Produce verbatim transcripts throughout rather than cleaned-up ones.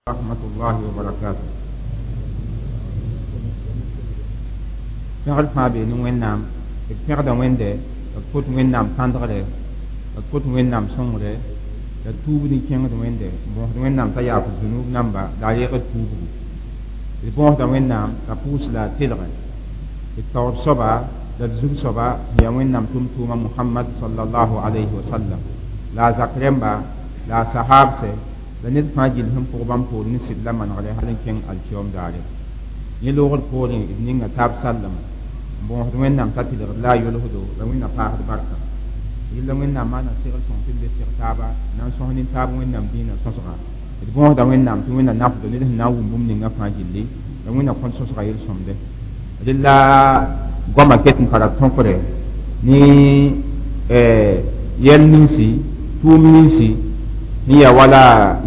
ورحمة الله وبركاته pẽgd fãa bee ne wẽnnaam d pẽgda wẽnde d kot wẽnnaam tãndgre d kot wẽnnaam sõngre la tuubd n kẽngd wẽnde n bõosd wẽnnaam t'a yaaf zunub namba la a reegd tuubgu d bõosda wẽnnaam t'a pʋʋs la a telge d taoor soaba la d zug soaba sẽn yaa wẽnnaam tʋm-tʋʋma mohamad salallahu alayhi wa sallam la a zak rẽmba la a sahaabsɛ la ned fãa gill sẽn pʋg bãmb poor ne sɩd la manegre hal n kẽng alkiyoom daare yẽ loogd poorẽ d ninga taab sallama n bõosd wẽnnaam t'a tɩlgd la a yolsdo la wẽnna paasd barka yella wẽnnaam maana segl sõng tɩ b le seg taaba na n sõs nin-taab wẽnnaam dĩinã sõsga d bõosda wẽnnaam tɩ wẽnna nafdo ned sẽn na n wʋm bũmb ninga fãa gilli la wẽnna kõn sõsga yel-sõmde rella goama ket n tara tõkre ne yɛl ninsi tʋʋm ninsi sẽn yaa wala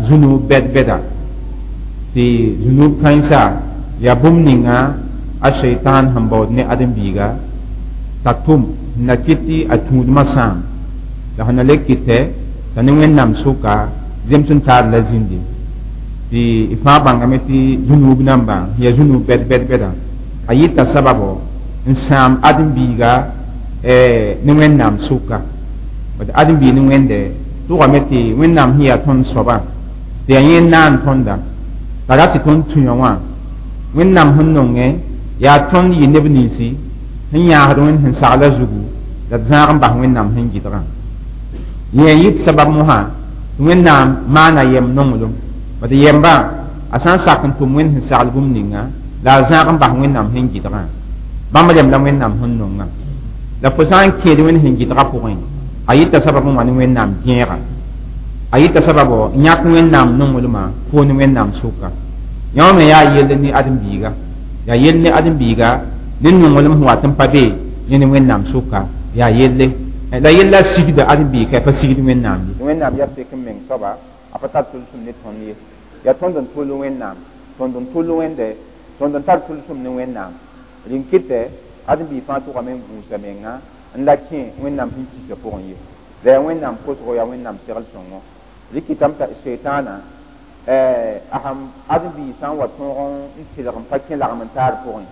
zũnub bɛd-bɛda tɩ zũnub kãensa yaa bũmb ninga a sheitan sẽn baood ne ãdem-biiga t'a tʋm n na kɩt tɩ a tũudmã sãam la sẽn na le kɩtɛ t'a ne wẽnnaam sʋka zems n taar la zĩndi tɩ y fãa bãngame tɩ zũnub nambã sẽn yaa zũnub bɛd-bɛd-bɛda a yɩta sababo n sãam ãdem-biiga ne wẽnnaam sʋka bad ãdem-biig ne wẽnde tʋgame tɩ wẽnnaam sẽn yaa tõnd soabã tɩ yaa yẽ naan tõnda t'a ra tɩ tõnd tũ-yã wã wẽnnaam sẽn nongẽ yaa tõnd yɩ neb ninsi sẽn yãasd wẽnd sẽn sagla zugu la d zãag n bas wẽnnaam sẽn gɩdgã yẽ yɩt sabab mosã tɩ wẽnnaam maana yɛm nonglem bad yɛmbã a sã n sak n tʋm wẽnd sẽn sagl bũmb ninga la a zãag n bas wẽnnaam sẽn gɩdgã bãmb rem la wẽnnaam sẽn nongã la fo sã n kẽed wẽnd sẽn gɩdgã pʋgẽ a yɩta sabab n wa ne wẽnnaam gẽega a yɩta sababo n yãk wẽnnaam nonglmã fo ne wẽnnaam sʋka yã me yaa yell ne ãdem-biiga yaa yell ne ãdem-biiga ne nonglem sẽn wat n pa be yẽ ne wẽnnaam sʋka yaa yelle la yella sigda ãdem-biig ka pa sigd wẽnnaam ye wẽnnaam yaa sek n meng soaba a pa tar tʋlsem ne tõnd ye yaa tõnd n tʋl wẽnnaam tõnd n tʋl wẽnde tõnd n tar tʋlsem ne wẽnnaam rẽn kɩtɛ ãdem-biig fãa tʋgame n gũusa menga n la kẽ wẽnnaam sẽn kisa pʋgẽ ye la yaa wẽnnaam kosgo yaa wẽnnaam segl sõngo rɩkɩtame t'a setaana a sãn ãdem-biig sã n wa tõog n tɩlg n pa kẽ lagm n taar pʋgẽ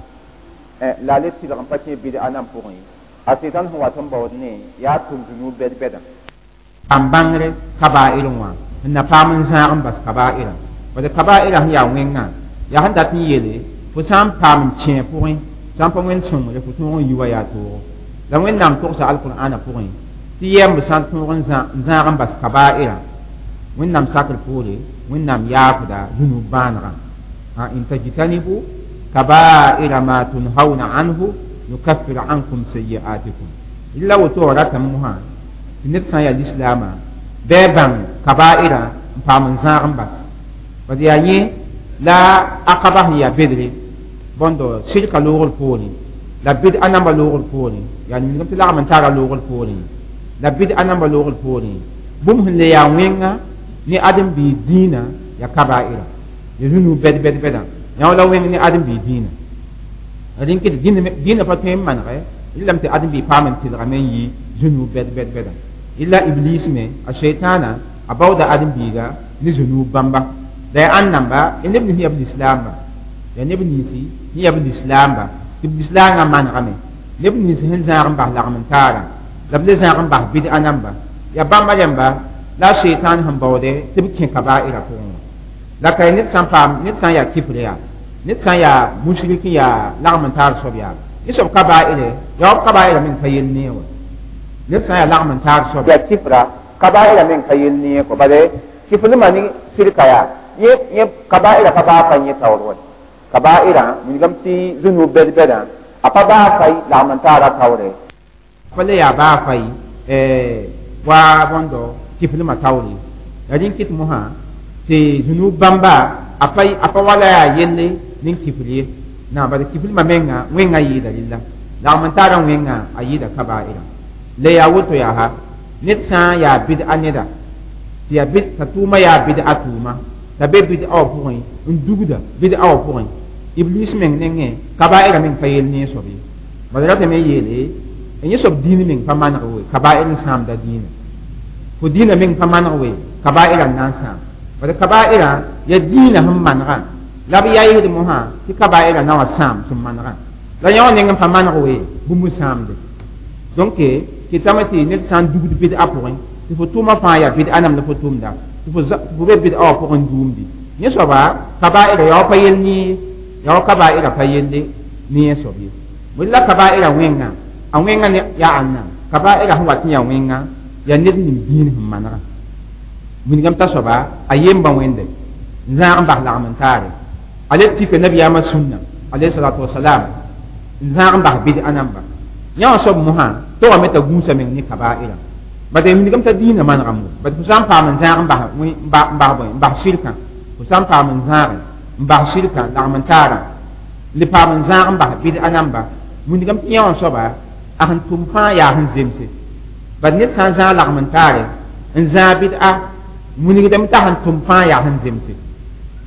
la a le tɩlg n pa kẽ bɩd-a nam pʋgẽ a sɩtan sẽn wat n baood ne yaa tʋm zũnub bɛd-bɛda n bãngre kabaa'ir wã n na paam n zãag n bas kabaa'ira bad kabaa'ira sẽn yaa wẽngã yaa sẽn dat n yeele fo sã n paam n kẽ pʋgẽ sã n pa wẽnd sõngre fo tõog n yi wa yaa toogo la wẽnnaam togsa alqur'ana pʋgẽ tɩ yɛmb sã n tõog n zãag n bas kabaa'ira wẽnnaam sakr poore wẽnnaam yaafda zũnub bãanegã in tajtanibu kabaira ma tunhauna anhu nukaffir ankum sayiatikum illa woto ratame mosã tɩ ned sã n yaa lislaamã bɩ a bãng kabaira n paam n zãag n bas bad yaa yẽ la aqaba sẽn yaa bedre bõndo sɩrka loogr poorẽ la bɩd-a namba loogr poorẽ yaa ningame tɩ lagm n tara loogr poorẽ la bɩd-a namba loogr poorẽ bũmb sẽn le yaa wẽnga ne ãdem-biig dĩinã yaa kabaira ya zũnub bɛd bɛd bɛdã yã la wẽng ne ãdem-biig dĩinã rẽn kɩt dĩinã pa tõe n manegɛ rɩlame tɩ ãdem-biig paam n tɩlgame n yɩ zũnub bɛd bɛd bɛdã illa iblis me a shaitana a baooda ãdem-biiga ne zũnub bãmba la yaa ãn namba ya neb nins yaa b lislaamba yaa neb ninsi sẽn yaa b lislaamba tɩ b lislaangã manegame neb nins sẽn zãag n bas lagm n taara la b le zãag n bas bɩd-a namba yaa bãmba rẽmba la a shaitan sẽn baoode tɩ b kẽ kabaira pʋgẽ wã la ka ned sã n paam ned sã n yaa kifr yaa ned sã n yaa musrik n yaa lagm n taar soab yaa yẽ soab kabaire yaa b kabaira meng pa yell ne wã ned sã n yaa lagm n taar soab yaa kifra kabaira meng pa yell ne kɔ bale kiflmã ne sɩrka yaa yẽ kabaira pa baa pa yẽ taoor wa kabaira wilgame tɩ zũnub bɛd-bɛdã a pa baa fay lagm n taara taoore pa le yaa baa fay wa bõndo kiflmã taoore la rẽn kɩt mosã tɩ zũnub bãmba a pa a pa wala yaa yelle nin kifl ye na bala kiflmã menga wẽngã yɩɩda rɩlla lagm n taarã wẽngã a yɩɩda kabaira le yaa woto yaa ha ned sã n yaa bɩd-a neda tɩ yaa bɩd t'a tʋʋma yaa bɩd-a tʋʋma t'a be bɩd-a wã pʋgẽ n dugda bɩd-a wã pʋgẽ iblis meng nengẽ kabaira meng pa yell ne soab ye bala ratame yeele yẽ soab dĩin meng pa maneg we kabair n sãamda dĩinã fo dĩinã meng pa maneg we kabaira n na n sãam Bad kabaira ya dĩinã sẽn manegã la b yaɩsd mosã tɩ kabaira na wa sãam sẽn manegã la yã wã neng n pa maneg we bũmb sãamde donc kɩtame tɩ ned sã n dugd bɩd-a pʋgẽ tɩ fo tʋʋmã fãa yaa bɩd-a nam la fo tʋmda tɩ fo be bɩd-a wã pʋgẽ duumdi yẽ soaba kabaira ya wa pa yell ne ya wa kabaira pa yelle ne yẽ soab ye bõe la kabaira wẽnga a wẽnga ne yaa ãnna kabaira sẽn wat n yaa wẽnga yaa ned ning dĩin sẽn manega wilgame t'a soaba a yemba wẽnde n zãag n bas lagm n taare a le tika nabiyaamã sũnna alayhi salatu wasalam n zãag n bas bɩd-a namba yã wã soab mosã tɩ wame t'a gũusa meng ne kabaira bad wilgame t'a dĩinã manegame bad fo sã n paam n zãag n bas n bas bõe n bas shirkã fo sã n paam n zãage n bas shirkã lagm n taarã le paam n zãag n bas bɩd-a namba wilgame tɩ yã wã soaba a sẽn tʋm fãa yaa sẽn zemse bad ned sã n zãag lagm n taare n zãag bɩd-a wilgdame t'a sẽn tʋm fãa yaa sẽn zemse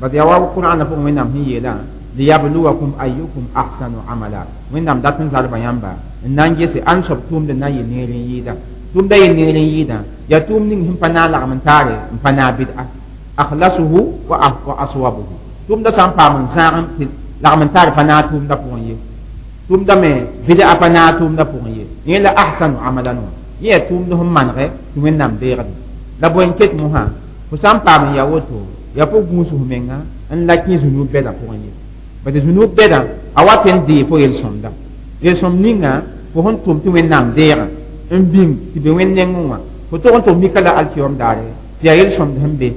bad yaa wa qur'ana pʋgẽ wẽnnaam sẽn yeelã liyabluwakum ayyukum ahsanu amala wẽnnaam dat n zalba yãmba n na n gese ãn soab tʋʋmd n na n yɩ neer n yɩɩda tʋʋmda yɩ neer n yɩɩdã yaa tʋʋm ning sẽn pa naag lagm n taare n pa naag bɩd-a akhlasuhu wa aswabuhu tʋʋmda sã n paam n zãag tɩ lagm n taare pa naag tʋʋmda pʋgẽ ye tʋʋmda me bɩd-a pa naag tʋʋmda pʋgẽ ye yẽ la ahsanu amalan wã yẽ yaa tʋʋmd sẽn manegɛ tɩ wẽnnaam deegd la bõe n ket mosã fo sã n paam n yaa woto yaa fo gũus f menga n la kẽ zũnub bɛda pʋgẽ ye bad zũnub bɛda a wat n dee fo yel-sõmda yel-sõm ninga fo sẽn tʋm tɩ wẽnnaam deegã n bĩng tɩ be wẽnd nengẽ wã fo tog n tɩ f mika la alkiyom daare tɩ yaa yel-sõmd sẽn be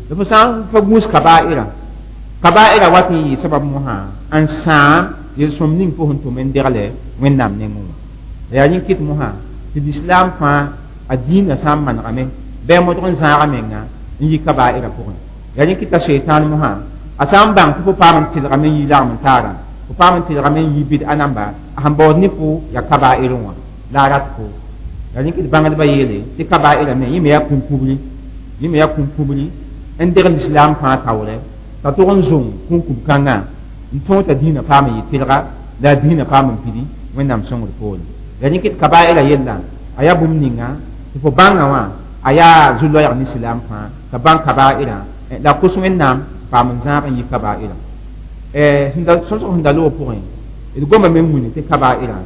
la fo sã n pa gũus kabaira kabaira wat n yɩ sabab mosã n sãam yel-sõm ning fo sẽn tʋm n degle wẽnnaam nengẽ wã la yaa yẽ kɩt mosã tɩ lislaam fãa a dĩinã sã n manegame bɩ a modg n zãaga menga n yi kabaira pʋgẽ yaa yẽ kɩta sheitan mosã a sã n bãng tɩ fo paam n tɩlgame n yi lagm n taarã fo paam n tɩlgame n yi bɩd-a namba a sẽn baood ne fo yaa kabair wã la a rat fo yaa yẽ kɩt bãngdbã yeele tɩ kabaira me yẽ me yaa kũn-kubri yẽ me yaa kũn-kubri n deg lislaam fãa taoorɛ t'a tog n zong kũn-kub-kãngã n tõog t'a dĩinã paam n yɩ tɩlga la a dĩinã paam n pidi wẽnnaam sõngr poore yaa yẽ kɩt kabaira yella a yaa bũmb ninga tɩ fo bãngã wã a yaa zu-loɛɛg ne silaam fãa t'a bãng kabaira la kos wẽnnaam paam n zãag n yi kabaira sõsg sẽn da loog pʋgẽ d gomame n wilg tɩ kabaira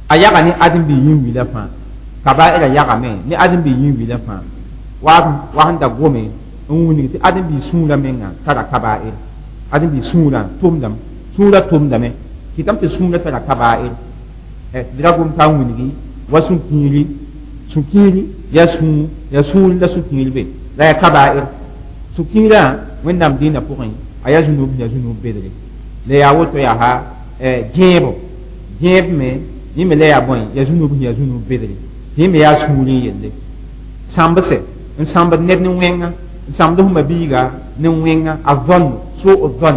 a yaga ne ãdem-bi yĩn-wilã fãa kabaira yagame ne ãdem-bi yĩn-wilã fãa wa sẽn da gome n wilg tɩ ãdem-bi sũurã menga tara kabair ãdem-bi sũurã tʋmdame sũurã tʋmdame kɩtame tɩ sũurã tara kabair d ra gom t'a n wilgi wa sũ-kiiri sũ-kiiri yaa sũur yaa sũur la sũ-kiir be la yaa kabair sũ-kiirã wẽnnaam dĩinã pʋgẽ a yaa zũnub yaa zũnub bedre la yaa woto yaa ha gẽebo gẽeb me yẽ me la yaa bõe yaa zũnub yaa zũnub bedre tɩ yẽ me yaa sũur n yelle sãmbse n sãmbd ned ne wẽnga n sãmd f mabiiga ne wẽnga a zõn soo zõn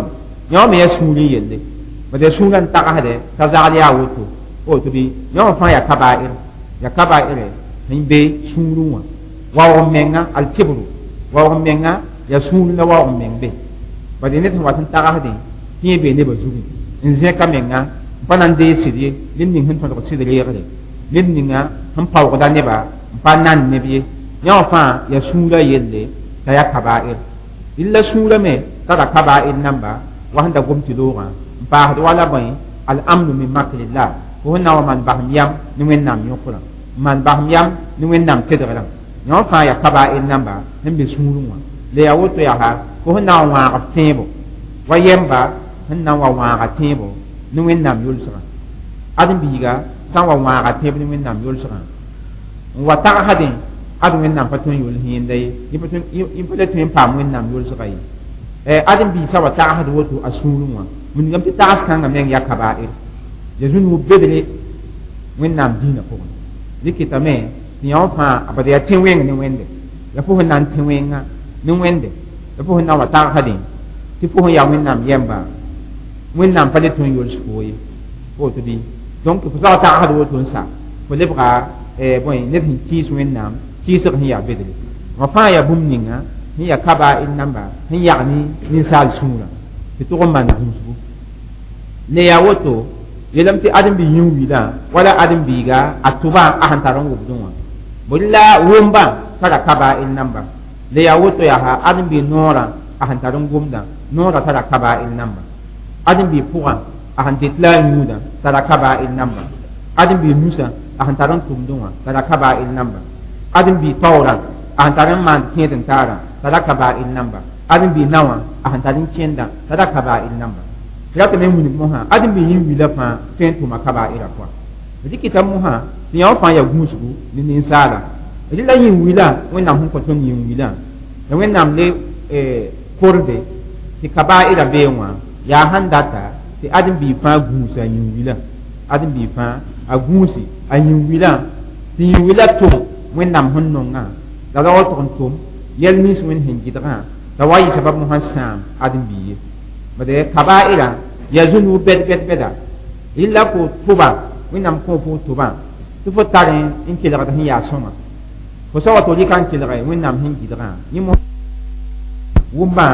yã wã me yaa sũur n yelle bad yaa sũurã n tagsde t'a zagl yaa woto woto bɩ yã wã fãa yaa kabair yaa kabaire sẽn be sũurẽ wã waoog menga alkibru waoog menga yaa sũur la waoog meng be bad ned sẽn wat n tagsdẽ tɩ yẽ bee nebã zugẽ n zẽka menga n pa na n deeg sɩd ye ned ning sẽn tõdg sɩd reegre ned ninga sẽn paoogda neba n pa nan neb ye yã wã fãa yaa sũurã yelle t'a yaa kabair la sũurã me tara kabair namba wa sẽn da gom tɩ loogã n paasd wala bõe al-amnu min makrillah fo sẽn na wa maan basem yam ne wẽnnaam yõkrã n maan basem yam ne wẽnnaam tedgrã yã wã fãa yaa kabair namba sẽn be sũurẽ wã la yaa woto yaa fo sẽn na n wãag f tẽebo wa yɛmba sẽn na n wa wãaga tẽebo ne wẽnnaam yʋlsgã ãdem-biiga sã n wa wãaga tẽeb ne wẽnnaam yʋlsgã n wa tagsdẽ ad wẽnnaam pa tõe n yʋls yẽnda ye yẽ pa le tõe n paam wẽnnaam yʋlsga ye ãdem-biig sã wa tagsd woto a sũurẽ wã wilgame tɩ tags kãngã meng yaa kabair ya zũnug bedre wẽnnaam dĩinã pʋgẽ dɩ kɩtame tɩ yã wã fãa bad yaa tẽ-wẽng ne wẽnde ya fo sẽn na n tẽ wẽnga ne wẽnde ya fo sẽn na n wa tagsdẽ tɩ fo sẽn yaa wẽnnaam yɛmba wẽnnaam pa le tõe n yols fo ye woto bɩ donc fo sã wa tagsd woto n sa fo lebga bõe ned sẽn kɩɩs wẽnnaam kɩɩsg sẽn yaa bedre wã fãa yaa bũmb ninga sẽn yaa kabair namba sẽn yag ne ninsaal sũurã tɩ tʋg n maan gũusgu le yaa woto yeelame tɩ ãdem-bi yĩn-wilã wala ãdem-biiga a tʋbã a sẽn tar n wʋbdẽ wã bõe la wʋmbã tara kabair namba Le yaa woto yaa ha ãdem-biig noorã a sẽn tar n gomdã noorã tara kaba'ir namba ãdem-biig pʋgã a sẽn det la a yũudã tara kaba'ir namba ãdem-biig nusã a sẽn tar n tʋmdẽ wã tara kaba'ir namba ãdem-biig taoorã a sẽn tar n maand kẽed n taarã tara kaba'ir namba ãdem-biig na wã a sẽn tar n kẽndã tara kaba'ir namba tɩ ratame n wilg mosã ãdem-biig yĩn-wila fãa tõe n tʋma kaba'ira pʋa dɩkɩta mosã tɩ yã wã fãa yaa gũusgu ne ninsaala rɩ la yĩn-wila wẽnnaam sẽn kõ tõnd yĩn-wilã la wẽnnaam le korde tɩ kaba'ira bee wã yaa sãn data tɩ ãdem-biig fãa gũusa a yĩn-wilã ãdem-biig fãa a gũusi a yĩn-wilã tɩ yĩn-wilã tʋm wẽnnaam sẽn nongã la ra wa tʋg n tʋm yɛl nins wẽnd sẽn gɩdgã la wa yɩ sabab mosã sãam ãdem-biig ye bade kaba'ira yaa zũnug bɛd bɛd bɛda rɩla fo tʋba wẽnnaam kõ fo tʋbã tɩ fo tar n kelgd sẽn yaa sõma fo sa wa tɩ rɩka n kelge wẽnnaam sẽn gɩdgã yẽ wʋmbã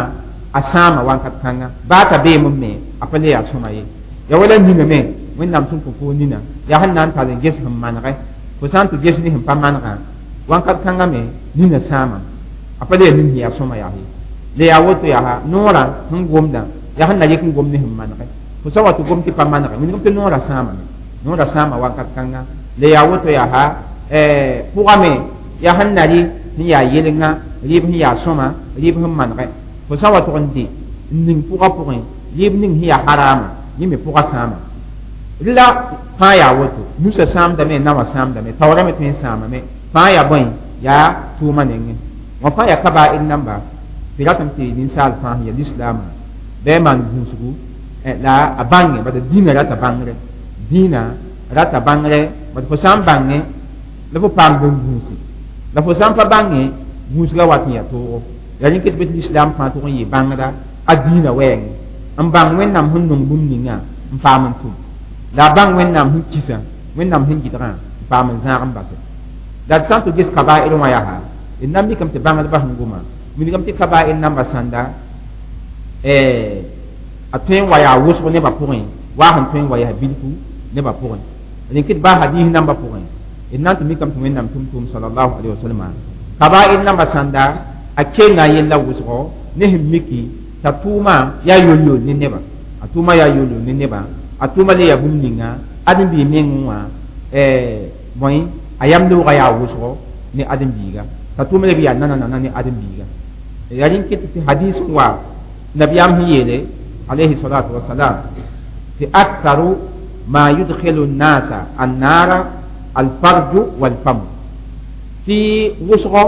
a sãama wakat kãnga baa t'a beem me a pa le yaa sõma ye ya wala ninga me wẽnnaam sẽn kõ fo nina yaa sẽn na n tall n ges sẽn manege fo sã n tɩ ges ne sẽn pa manegã wakat kãnga me nina sãama a pa le yaa nin sẽn yaa sõma yaa ye le yaa woto yaa noorã sẽn gomdã yaa sẽn na rɩk n gom ne sẽn manege fo sa wa tɩ gom tɩ pa manege wilgm tɩ noorã sãamame noorã sãama wakat kãnga le yaa woto yaa pʋga me yaa sẽn na rɩ sẽn yaa yelengã rɩɩb sẽn yaa sõma rɩɩb sẽn manege fo sã wa tʋg n dɩ n ning pʋgã pʋgẽ rɩɩb ning sẽn yaa haraama yẽ me pʋgã sãama la fãa yaa woto nusa sãamdame naoã sãamdame taoorã me tõe n sãamame fãa yaa bõe yaa tʋʋma nengẽ wã fãa yaa kaba'ir namba tɩ ratame tɩ ninsaal fãa sẽn yaa lislaamã bɩ maan gũusgu la a bãnge bad dĩinã rata bãngre dĩinã rata bãngre bad fo sã n bãngẽ la fo paamd n gũusi la fo sã n pa bãngẽ gũusgã wat n yaa toogo yaa rẽn ket bɩ tɩ lislaam fãa tʋg n yɩ bãngda a dĩinã wɛɛngẽ n bãng wẽnnaam sẽn nong bũmb ninga n paam n tʋm la a bãng wẽnnaam sẽn kisa wẽnnaam sẽn gɩdgã n paam n zãag n base la d sã n tɩ ges kaba'ir wã yaa d na n mikame tɩ bãngdbã sẽn goma wilgame tɩ kaba'ir namba sãnda a tõe n wa yaa wʋsg nebã pʋgẽ waa sẽn tõe n wa yaa bilfu nebã pʋgẽ rẽn kɩt baa hadiis nambã pʋgẽ d na n tɩ mikame tɩ wẽnnaam tʋm-tʋʋm salallahu alayhi wa salama kaba'ir namba sãnda a kenga yella wʋsgo ne sẽn miki t'a tʋʋma yaa yol-yol ne nebã a tʋʋma yaa yol-yol ne nebã a tʋʋma le yaa bũmb ninga ãdem-biig mengẽ wã bõe a yam loogã yaa wʋsgo ne ãdem-biiga t'a tʋʋma leb yaa nana-nana ne ãdem-biiga yaa rẽn kɩt tɩ hadiis n wa nabiyaam sẽn yeele alayhi salatu wasalam tɩ aktharu ma yudkhilu nnasa annara alfarju walfamu tɩ wʋsgo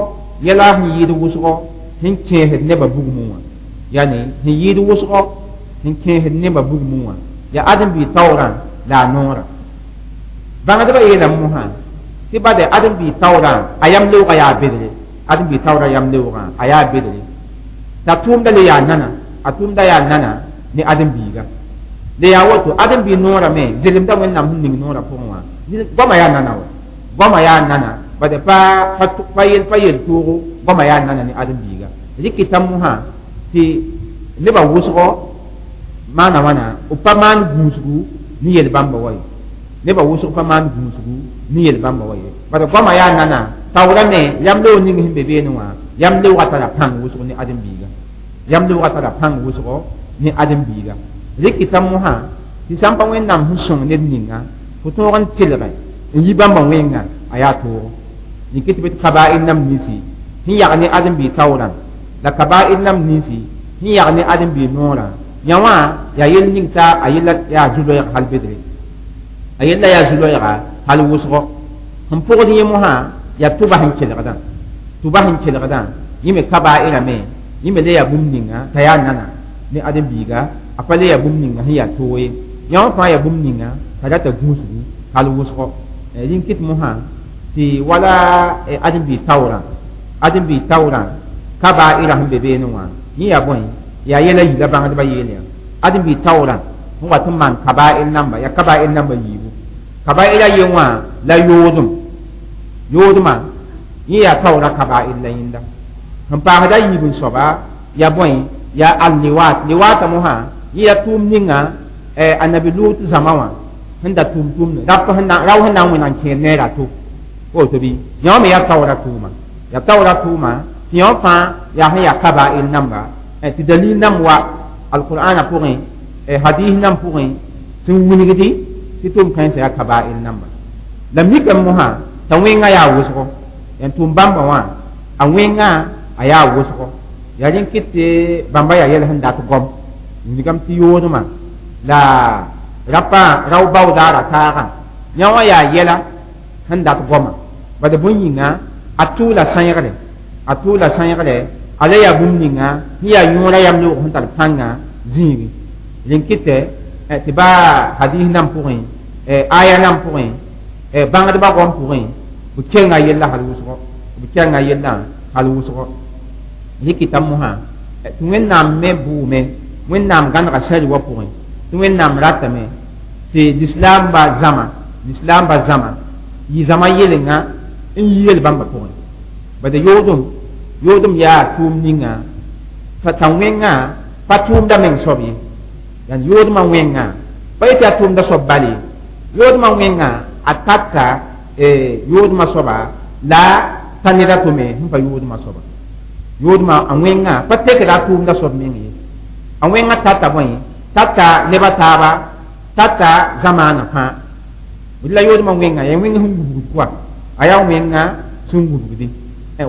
yɛla sẽn yɩɩd wʋsgo sẽn kẽesd nebã bugmẽ wã yani sẽn yɩɩd wʋsgo sẽn kẽesd nebã bugmẽ wã yaa ãdem-biig taoorã la a noorã bãngdbã yeelame mosã tɩ bade ãdem-biig taoorã a yam leoogã yaa bedre ãdem-biig taoorã yam leoogã a yaa bedre t'a tʋʋmda le yaa nana a tʋʋmda yaa nana ne ãdem-biiga le yaa woto ãdem-biig noorã me zelemda wẽnnaam sẽn ning noorã pʋgẽ wã goama yaa nana wa goama yaa nana bade pa pa yel pa yel toogo goama yaa nana ne ãdem-biiga rɩkɩta mosã tɩ nebã wʋsgɔ maana wãna b pa maan gũusgu ne yel bãmba wa ye nebã wʋsg pa maan gũusgu ne yel bãmba wa ye bad goama yaa nana taoorã me yam leoog ning sẽn be beene wã yam leoogã tara pãng wʋsg ne ãdem-biiga yam leoogã tara pãng wʋsgo ne ãdem-biiga rɩkɩta mosã tɩ sã n pa wẽnnaam sẽn sõng ned ninga fo tõog n telge n yi bãmba wẽnga a yaa toogo yĩk tɩ bɩ tɩ kaba'ir nam ninsi sẽn yag ne ãdem-biig taoorã la kaba'ir nam ninsi sẽn yag ne ãdem-biig noorã yã wã yaa yell ning t'a a yella yaa zu-loɛɛg hal bedre a yella yaa zu-loɛɛga hal wʋsgo sẽn pʋgd yẽ mosã yaa tʋba sẽn kelgdã tʋba sẽn kelgdã yẽ me kaba'ira me yẽ me le yaa bũmb ninga t'a yaa nana ne ãdem-biiga a pa le yaa bũmb ninga sẽn yaa toog ye yã wã fãa yaa bũmb ninga t'a rata gũusgu hal wʋsgo rĩn kɩt mosã tɩ wala ãdem-biig taoorã ãdem-biig taoorã kaba'ira sẽn be beene wã yẽ yaa bõe yaa yɛla yila bãngdbã yeel yã ãdem-biig taoorã sẽn wat n maan kaba'ir namba yaa kaba'ir namba yiibu kaba'ira ye wã la yoodem yoodmã yẽ yaa taoorã kaba'ir la yẽnda sẽn paasda yiib n soaba yaa bõe yaa al-liwat liwaata mosã yẽ yaa tʋʋm ninga annabi lut zãma wã sẽn da tʋʋm tʋʋmd rap rao sẽn na n wẽneg n kẽer neera to woto bɩ yã wã me yaa taoorã tʋʋma yaa taoorã tʋʋma Tɩ yõ fãa yaa sẽn yaa kaba'ir namba tɩ dalil nam wa alqur'ana pʋgẽ hadis nam pʋgẽ sẽn wilgdi tɩ tʋʋm kãensã yaa kaba'ir namba la mikame mosã t'a wẽngã yaa wʋsgo yãn tʋʋm bãmba wã a wẽngã a yaa wʋsgo yaa rẽn kɩt tɩ bãmba yaa yɛl sẽn dat gom wilgame tɩ yoodmã la rapa rao baoodaara taagã yã wã yaa yɛla sẽn dat goma bad bõe yĩnga a tʋʋla sãeegre a tʋʋla sãeegre ala yaa bũmb ninga sẽn yaa yõora yam loog sẽn tar pãnga zĩigi rẽn kɩtɛ tɩ ba hadis nam pʋgẽ aya nam pʋgẽ bãngdbã goam pʋgẽ b kenga yella hal wʋsgo b kenga yellã hal wʋsgo rɩkɩta mosã tɩ wẽnnaam me bʋʋme wẽnnaam gãnega sari wã pʋgẽ tɩ wẽnnaam ratame tɩ lislaamba zãma lislaamba zãma yɩ zãma yelenga n yi yel bãmba pʋgẽ bad yoodem yoodem yaa tʋʋm ninga t'a wẽngã pa tʋʋmda meng soab ye yãnd yoodmã wẽngã pa yetɩ yaa tʋʋmda soab bal ye yoodmã wẽngã a tata yoodmã soaba la ta neda tome sẽn pa yoodmã soaba yoodmã a wẽngã pa tekda a tʋʋmda soab meng ye a wẽngã tata bõe tata neba taaba tata zamaana fãa la yoodmã wẽngã yaa wẽng sẽn wubgd kɔa a yaa wẽngã sẽn wubgdi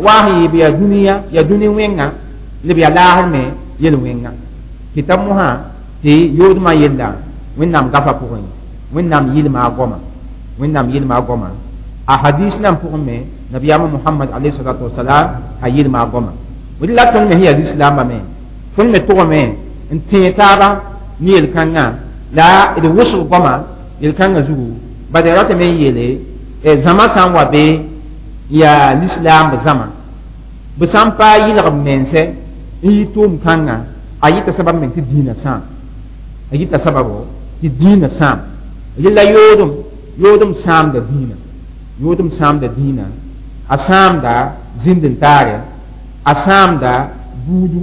waa sẽn yɩ bɩ yaa dũniyã yaa dũni wẽngã lb yaa laasr me yel wẽnga kɩta mosã tɩ yoodmã yella wẽnnaam gafa pʋgẽ wẽnnaam yɩlma a goama wẽnnaam yɩlma a goama a hadis nan pʋgẽ me nabiyaamã mohamad alayhi salatu wasalam a yɩlma a goama la tõnd me sẽn yaa lislaambã me tõnd me tʋgame n tẽe taaba ne yel-kãngã la d wʋsg goama yel-kãngã zugu bad ya ratame n yeele zãma sã n wa be yaa lislaamb zãma b sã n pa yɩlg b mense n yɩ tʋʋm kãngã a yɩta sabab meng tɩ dĩinã sãam a yɩta sababo tɩ dĩinã sãam rela yoodem yoodem sãamda dĩinã yoodem sãamda dĩinã a sãamda zĩnd n taare a sãamda buudu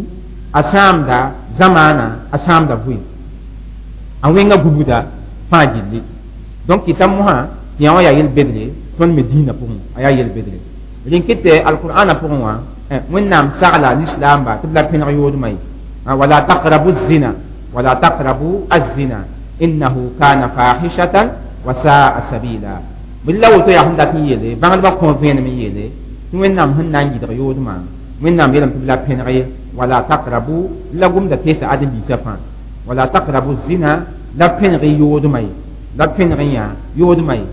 a sãamda zamaana a sãamda vʋɩ a wẽnga gubgda fãa gilli donc kɩta mosã tɩ yã wã yaa yel-bedre tõnd me dĩinã pʋgẽ a yaa yel-bedre rẽn kɩtɛ alqur'ana pʋgẽ wã wẽnnaam sagla lislaamba tɩ b la pẽneg yoodmã ye wala taqrabu zina wala taqrabu azina innahu kana fahishatan wa saa sabila bɩ la woto yaa sẽn dat n yeele bãngdbã kõ vẽenem n yeele tɩ wẽnnaam sẽn na n yɩdg yoodmã wẽnnaam yeelame tɩ b la pẽneg ye wala taqrabu la gomda teesa ãdem-biisã fãa wala taqrabu zina la pẽneg yoodmã ye la pẽneg yã yoodmã ye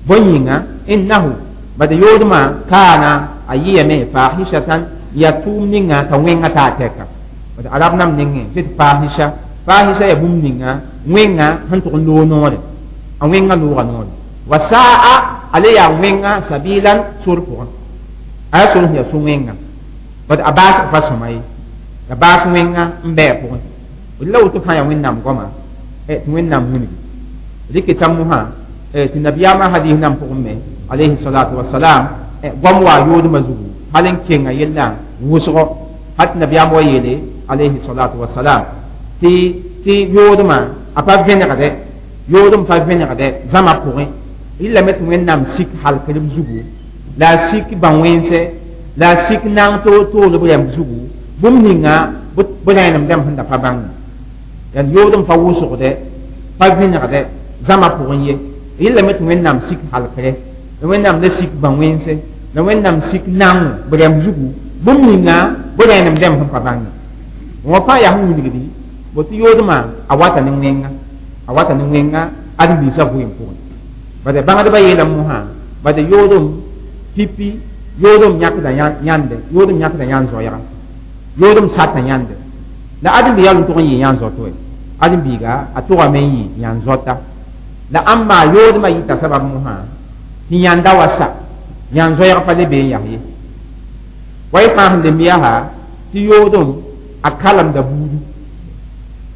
bõe yĩnga innahu bad yoodmã kaana a yɩyame fahishatan yaa tʋʋm ninga t'a wẽnga taa tɛka bad arab nam nengẽ tɩ tɩ fahisha fahisha yaa bũmb ninga wẽnga sẽn tʋg n loog noore a wẽnga looga noore wa saa ale yaa wẽnga sabilan sor pʋgẽ a yaa sor sẽn yaa so-wẽnga bad a baasg pa sõma ye ya baas wẽnga n bɩ a pʋgẽ la woto fãa yaa wẽnnaam goama tɩ wẽnnaam wilgi rɩkɩ t'a mosã tɩ nabiyaamã hadis nan pʋgẽ me alayhi salatu wasalam goam wa yoodmã zugu hal n kenga yellã wʋsgo hal tɩ nabiyaam wa yeele alayhi salatu wasalam tɩ tɩ yoodmã a pa vẽnegdɛ yoodem pa vẽnegdɛ zãma pʋgẽ rɩlame tɩ wẽnnaam sik halkr b zugu la a sik bã-wẽnse la a sik naang toor b rɛmb zugu bũmb ninga b rẽenem rãmb sẽn da pa bãng yãnd yoodem pa wʋsgdɛ pa vẽnegdɛ zãma pʋgẽ ye rɩlame tɩ wẽnnaam sik halkre la wẽnnaam la sik bã-wẽnse la wẽnnaam sik naango b rɛmb zugu bũmb ninga b rẽenem rãmb sẽn pa bãnge wã fãa yaa sẽn wilgdi bo tɩ yoodmã a wata ne wẽnga a wata ne wẽnga ãdem-biisã vɩɩm pʋgẽ bad bãngdbã yeelame mosã bad yoodem pipi yoodem yãkda yãnde yoodem yãkda yãn zoɛɛga yoodem sata yãnde la ãdem-biiga yaa n tʋg n yɩ yãn zoto ye ãdem-biiga a tʋgame n yɩ yãn zoata la ãmba yoodmã yɩta sabab mosã tɩ yãnda wa sa yãn zoɛɛg pa le bee n yas ye wa y fãa sẽn lemb yaa tɩ yoodem a kalemda buudu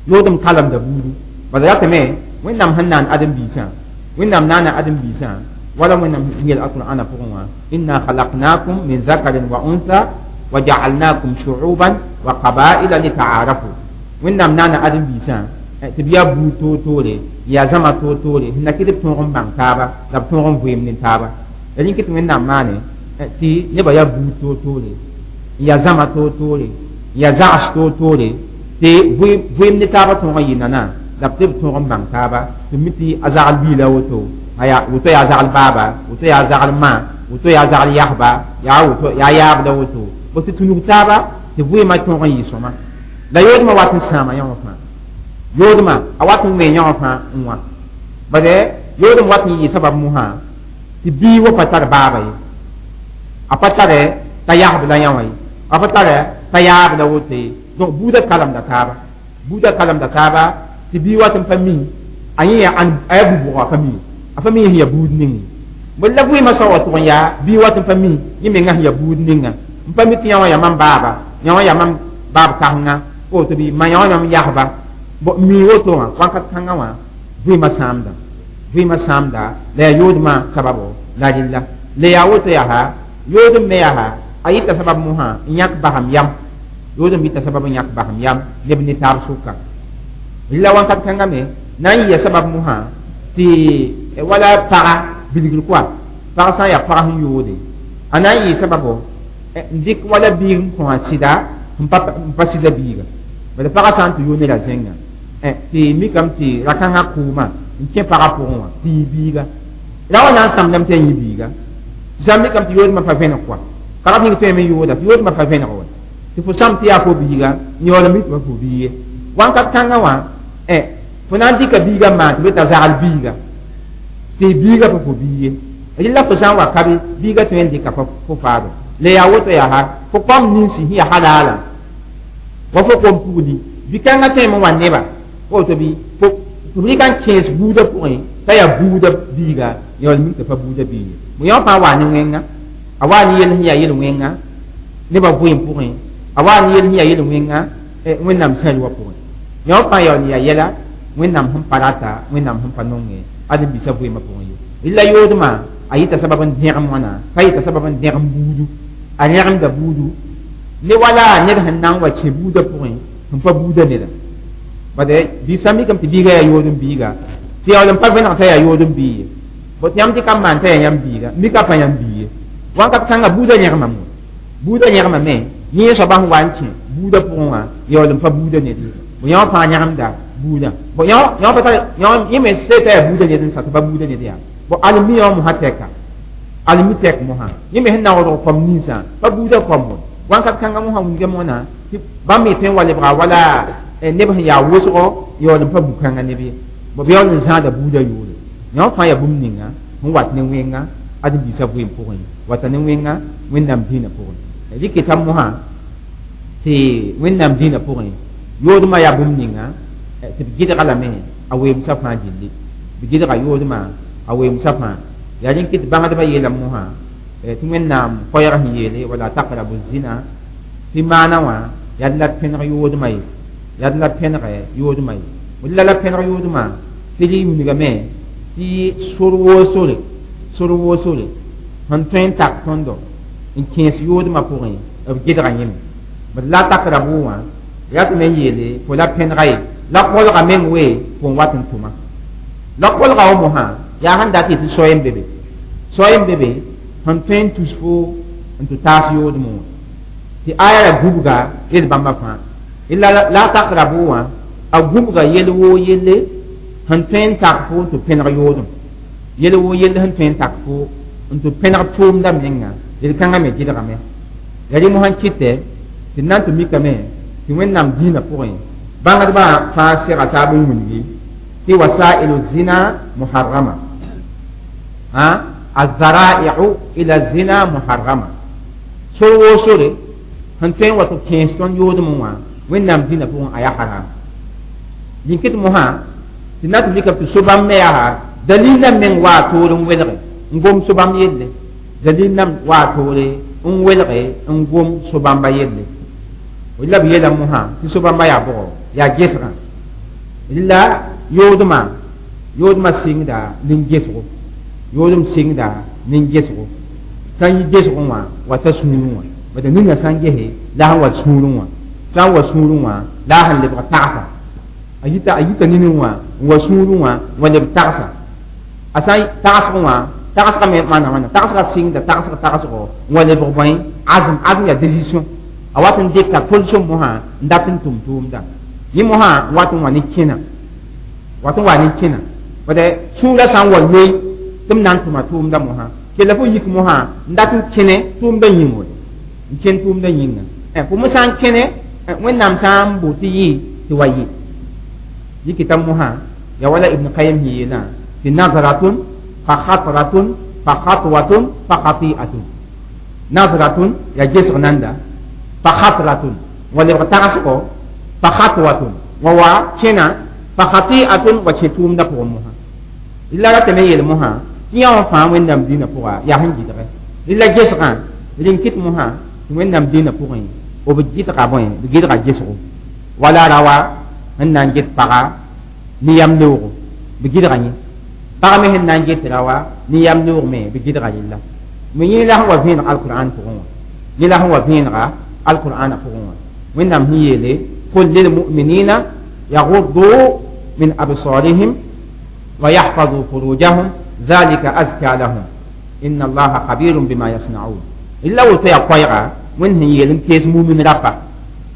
yoodem kalemda buudu bala ratame wẽnnaam sẽn naan ãdem-biisã wẽnnaam naana ãdem-biisã wala wẽnnaam yel alqur'ana pʋgẽ wã inna khalaqnakum min zakarin wa untha wa ja'alnakum shu'uban wa qabaila litaarafu wẽnnaam naana ãdem-biisã tɩ b yaa buud toor-toore yaa zãma toor-toore sẽn na kɩ tɩ b tõog n bãng taaba la b tõog n vɩɩm ne taaba la rẽn kɩ tɩ wẽnnaam maane tɩ nebã yaa buud toor-toore n n yaa zãma toor-toore n yaa zags toor-toore tɩ vɩɩm ne taabã tõog n yɩ nana la b tɩ b tõog n bãng taaba tɩ mi tɩ a zagl biila woto aya woto yaa zagl baaba woto yaa zagl ma woto yaa zagl yasba yaa woto yaa yaabda woto bo tɩ tũnug taaba tɩ vɩɩmã tõog n yɩ sõma la yoodmã wat n sãama yã wã fãa yoodmã a wat n wẽ yã wã fãa n wã bade yoodem wat n yɩ sabab mosã tɩ bii wa pa tar baaba ye a pa tare t'a yasb la yã wã ye a pa tare t'a yaab la woto ye donc buudã kalemda taaba buudã kalemda taaba tɩ bii wat n pa mi a yẽ a yaa bu-bʋga a pa mi a pa mi sẽn yaa buud ning ye la vɩɩmã soa wa tʋg n yaa bii wat n pa mi yẽ menga sẽn yaa buud ninga n pa mi tɩ yã wã yaa mam baaba yã wã yaa mam baab kãsenga woto bɩ ma yã wã mam yasba bo mi woto wã wãnkat kãngã wã vɩɩmã sãamda vɩɩmã sãamda la yaa yoodmã sababo la rɩlla la yaa woto yaa yoodem me yaa a yɩta sabab mosã n yãk basem yam yoodem yɩta sabab n yãk basem yam neb ne taab sʋka rɩla wãnkat kãngã me na n yɩa sabab mosã tɩ wala paga bilgr koa pag sã n yaa pag sẽn yoode a na n yɩ sababo n dɩk wala biig n kõ a sɩda n pa sɩda biiga bala pagã sã n tɩ yoo neda zẽnga tɩ mikame tɩ ra-kãngã kʋʋmã n kẽ pagã pʋgẽ wã tɩ yɩ biiga ra wa na n sãmdame tɩ ya yĩ biiga tɩ sã n mikame tɩ yoodmã pa vẽneg koa karat ning tõeme n yooda tɩ yoodmã pa vẽneg wa tɩ fo sãm tɩ yaa fo biiga n yaool n mi tɩ pa fo biig ye wãnkat kãngã wã fo na n dɩka biiga n maan tɩ be t'a zagl biiga tɩ biiga pa fo biig ye rɩla fo sã n wa kabe biiga tõe n dɩka fo faado la yaa woto yaa fo kom ninsi sẽn yaa halaalã wa fo kom pugli bi-kãngã tõeme n wa neba woto bɩ fo tɩ b rɩka n kẽes buudã pʋgẽ t'a yaa buudã biiga yaool mik tɩ pa buudã biig ye mo yã fãa waa ne wẽnga a waa ne yel sẽn yaa yel-wẽnga nebã vɩɩm pʋgẽ a waa ne yel sẽn yaa yel-wẽnga wẽnnaam sãr wã pʋgẽ yã fãa yaool n yaa yɛla wẽnnaam sẽn pa rata wẽnnaam sẽn pa nonge ãdem-biisã vɩɩmã pʋgẽ ye rɩla yoodmã a yɩta sabab n dẽgem wãna pa yɩta sabab n dẽgem buudu a rẽgemda buudu ne wala ned sẽn na n wa kẽ buudã pʋgẽ sẽn pa buudã neda bade biisã mikame tɩ biiga yaa yood n biiga tɩ yaool n pa vẽneg t'a yaa yood n bii ye bõ tɩ yãmb tɩ ka maan t'a yaa yãmb biiga mika pa yãmb bii ye wãnkat kãngã buudã yẽgemame buudã yẽgemame yẽ soaba sẽn wa n kẽ buudã pʋgẽ wã yaool n pa buudã ned ye bõ yã wã fãa yẽgemda buudã bõ yã pa tar yẽ me see t'a yaa buudã ned n sa tɩ pa buudã ned yaa bõ almi yã wã mosã tɛka almi tɛk mosã yẽ me sẽn naoodg kom ninsã pa buudã kom wã wãnkat kãngã mosã wilga moona tɩ bãmb me tõe n wa lebga wala neb sẽn yaa wʋsgo yaool n pa bu-kãngã neb ye bõ b yaool n zãada buudã yʋʋre yã wã fãa yaa bũmb ninga sẽn wat ne wẽnga ãdem-biisã vɩɩm pʋgẽ wata ne wẽnga wẽnnaam dĩinã pʋgẽ rɩkɩta mosã tɩ wẽnnaam dĩinã pʋgẽ yoodmã yaa bũmb ninga tɩ b gɩdga lame a weemsã fãa gilli b gɩdga yoodmã a weemsã fãa yaa rẽn kɩ tɩ bãngdbã yeelame mosã tɩ wẽnnaam koɛɛg sẽn yeele wala taqrabu zina tɩ maana wã yaa la pẽneg yoodmã ye yaa la pẽnegɛ yoodmã ye la la pẽneg yoodmã tɩ rɩ wilgame tɩ sor woo sore sor woo sore sẽn tõe n tak tõndo n kẽes yoodmã pʋgẽ b gɩdga yẽme bd la taqrabu wã yaa tɩ me n yeele fo la pẽnega ye la kolga meng we fo n wat n tʋma la kolga wa mosã yaa sẽn dat tɩ soay n be be soay n be be sẽn tõe n tus fo n tɩ taas yoodmẽ wã tɩ aya ra gubga yel bãmba fãa la la taqrabu wã a gubga yel woo yelle sẽn tõe n tak fo n tɩ pẽneg yoodem yel woo yelle sẽn tõe n tak fo n tɩ pẽneg tʋʋmda menga yel-kãngã me gɩdgame ya rẽ mosã kɩtɛ tɩ na n tɩ mikame tɩ wẽnnaam dĩinã pʋgẽ bãngdbã fãa sega taab n wilgi tɩ wasailu zina muharrama الذرائع إلى الزنا محرمة sor woo sore sẽn tõe n wa tɩ kẽes tõnd yoodmẽ wã wẽnnaam dĩnã pʋgẽ a yaa haram yĩn-kɩt mosã tɩ na tɩ mikame tɩ so-bãmb me yaa dalil nan meng waa toor n welge n gom so-bãmb yelle dalil nan waa toore n welge n gom so-bãmba yelle la b yeela mosã tɩ so-bãmba yaa bʋgɔ yaa gesgã la yoodmã yoodmã sɩngda nin-gesgo yoodem sɩngda nin-gesgo sã n yi gesgẽ wã wata sũurẽ wã bad ninga sã n gese la sẽn wa sũurẽ wã sã n wa sũurẽ wã la a sẽn lebg tagsa a yita a yita nini wã n wa sũurẽ wã n wa leb tagsa a sã n tagsg wã tagsgã me maana wãna tagsgã sɩngda tagsg tagsgo n wa lebg bõe azm azm yaa décision a wat n dɩka tolsem mosã n dat n tʋm tʋʋmda yẽ mosã wat n wa ne kẽna wat n wa ne kẽna bad sũurã sã n wa loe tɩ m na n tʋma tʋʋmda mosã kella fo yik mosã n dat n kẽne tʋʋmda yĩngo n kẽn tʋʋmda yĩnga fo me sã n kẽne wẽnnaam sã n bo tɩ yɩ tɩ wa yɩ yikita mosã ya wala ibn qayim sẽn yeelã tɩ nazratun fa khatratun fa khatwatun fa khati'atun nazratun ya gesg nanda fa khatratun wa lebg tagsgo fa khatwatun wa wa kẽna fa khati'atun wa kẽ tʋʋmda pʋgẽ mosã la ratame yeel mosã tɩ yã wã fãa wẽnnaam dĩinã pʋga yaa sẽn gɩdge la gesgã rĩn-kɩt mosã tɩ wẽnnaam dĩinã pʋgẽ b gɩdga bõe b gɩdga gesgo wala rawa sẽn na n get paga ne yam leoogo b gɩdga yẽ pag me sẽn na n get rawa ne yam leoog me b gɩdga yella me yẽ la sẽn wa vẽeneg alqur'an pʋgẽ wã yẽ la sẽn wa vẽenega alqur'ana pʋgẽ wã wẽnnaam sẽn yeele qul lilmuminina yaguddu min absarihim wa yahfazu furujahum ذلك أزكى لهم إن الله خبير بما يصنعون إلا وتو يا قويغا وين هي يلن كيس مؤمن ربا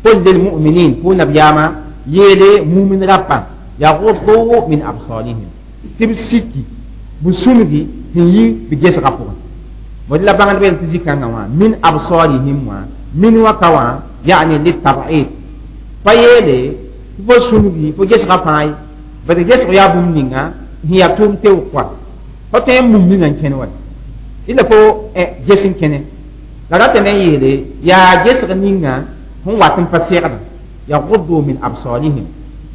قل للمؤمنين فو نبياما يلي مؤمن ربا يغضوا من أبصارهم تبسكي بسمدي هي بجيس غفور ولا بان بين تزيكا من أبصارهم من وكوا يعني للتبعيد فيلي فو سمدي فو جيس غفاي بس جيس غياب منينغا هي توم تيو fo tõe n mum ninga n kẽne wa ila fo ges n kẽne la ratame n yeele yaa gesg ninga sẽn wat n pa segda yaguddu min absarihim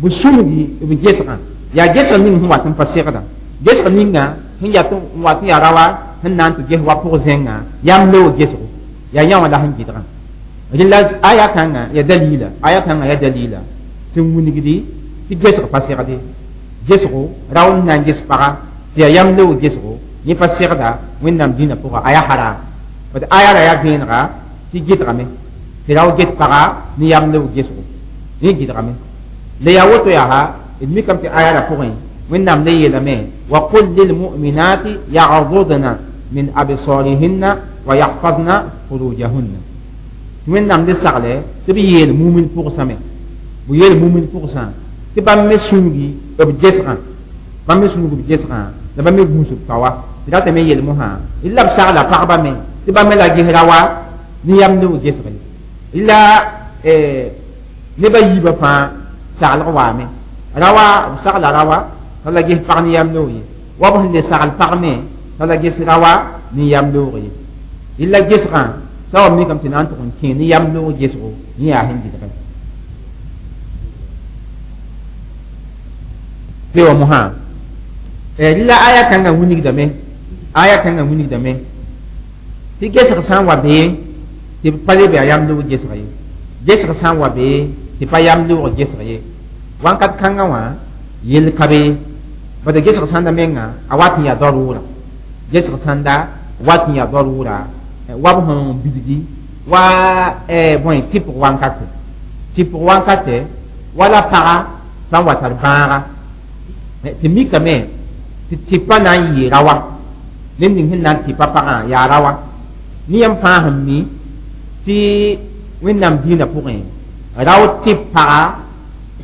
bɩ sũmgi b gesgã yaa gesg ning sẽn wat n pa segda gesg ninga sẽn yat n wat n yaa rawa sẽn na n tɩ ges wa pʋg zẽnga yam leoog gesgo yaa yã wã la sẽn gɩdgã rẽla aya kãngã ya dalila aya kãngã ya dalila sẽn wilgdi tɩ gesg pa segde gesgo rao n na n ges paga tɩ yaa yam leoog gesgo yẽ pa segda wẽnnaam dĩinã pʋga a yaa haram bad aya ra yaa vẽenega tɩ gɩdgame tɩ rao get paga ne yam leoog gesgo yẽ gɩdgame la yaa woto yaa d mikame tɩ aya ra pʋgẽ wẽnnaam le yeelame wa qul lilmuminati yagdudna min absarihinna wa yahfazna furujahunna tɩ wẽnnaam le sagle tɩ b yeel mumin pʋgsame b yeel mumin pʋgsã tɩ bãmb me sũngi b gesgã bãmb me sũngi b gesgã la bãmb me gũus b kawa tɩ ratame yeel mosã la b sagla pagba me tɩ bãmb me la gesra wa ne yam leoog gesge la neba yiibã fãa saglg waame rawa b sagla rawa t'a la ges pag ne yam leoog ye wa b sẽn le sagl pag me t'a la ges rawa ne yam leoog ye la gesgã sã wa mikame tɩ na n tʋg n kẽ ne yam leoog gesgo yẽ yaa sẽn gɩdge wa mosã la aya kãngã wilgdame aya kãngã wilgdame tɩ gesg sã n wa bee tɩ b pa leb yaa yam leoog gesg ye gesg sã n wa bee tɩ pa yam leoog gesg ye wãnkat kãngã wã yell ka be bad gesg sãnda menga a wat n yaa darʋʋra gesg sãnda wat n yaa darʋʋra wa b sẽn bilgi wa bõe tɩpg wankate tɩpg wankate wala paga sã n wa tar bãaga tɩ mikame tɩ tɩpa na n yɩ rawa ned ning sẽn na n tɩpa pagã yaa rawa ne yãmb fãa sẽn mi tɩ wẽnnaam dĩinã pʋgẽ rao tɩp paga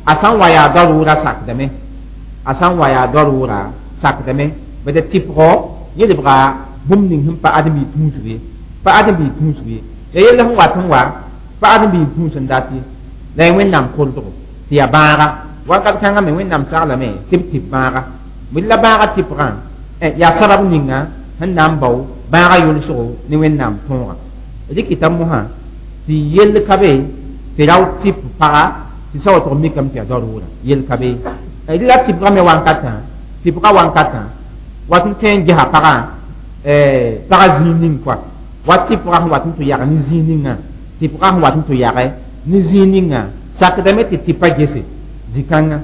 a sã n wa yaa darʋʋra sakdame a sã n wa yaa darʋʋra sakdame bad tɩpgɔ yẽ lebga bũmb ning sẽn pa ãdem-biig tũusg ye pa ãdem-biig tũusg ye ya yell sẽn wat n wa pa ãdem-biig tũus n dat ye la ya wẽnnaam koldgo tɩ yaa bãaga wakat kãngã me wẽnnaam saglame tɩ b tɩp bãaga bɩ la bãaga tɩpgã yaa sabab ninga sẽn na n bao bãaga yʋlsgo ne wẽnnaam tõoga rɩkɩta mosã tɩ yell ka be tɩ rao tɩp paga tɩ sa wa tʋg mikame tɩ yaa darʋʋra yell ka be la tɩpgã me wankatã tɩpgã wankatã wat n tõe n gesa pagã pagã zĩig ning koa wa tɩpgã sẽn wat n tɩ yag ne zĩig ningã tɩpgã sẽn wat n tɩ yage ne zĩig ningã sakdame tɩ tɩpa gese zĩ-kãngã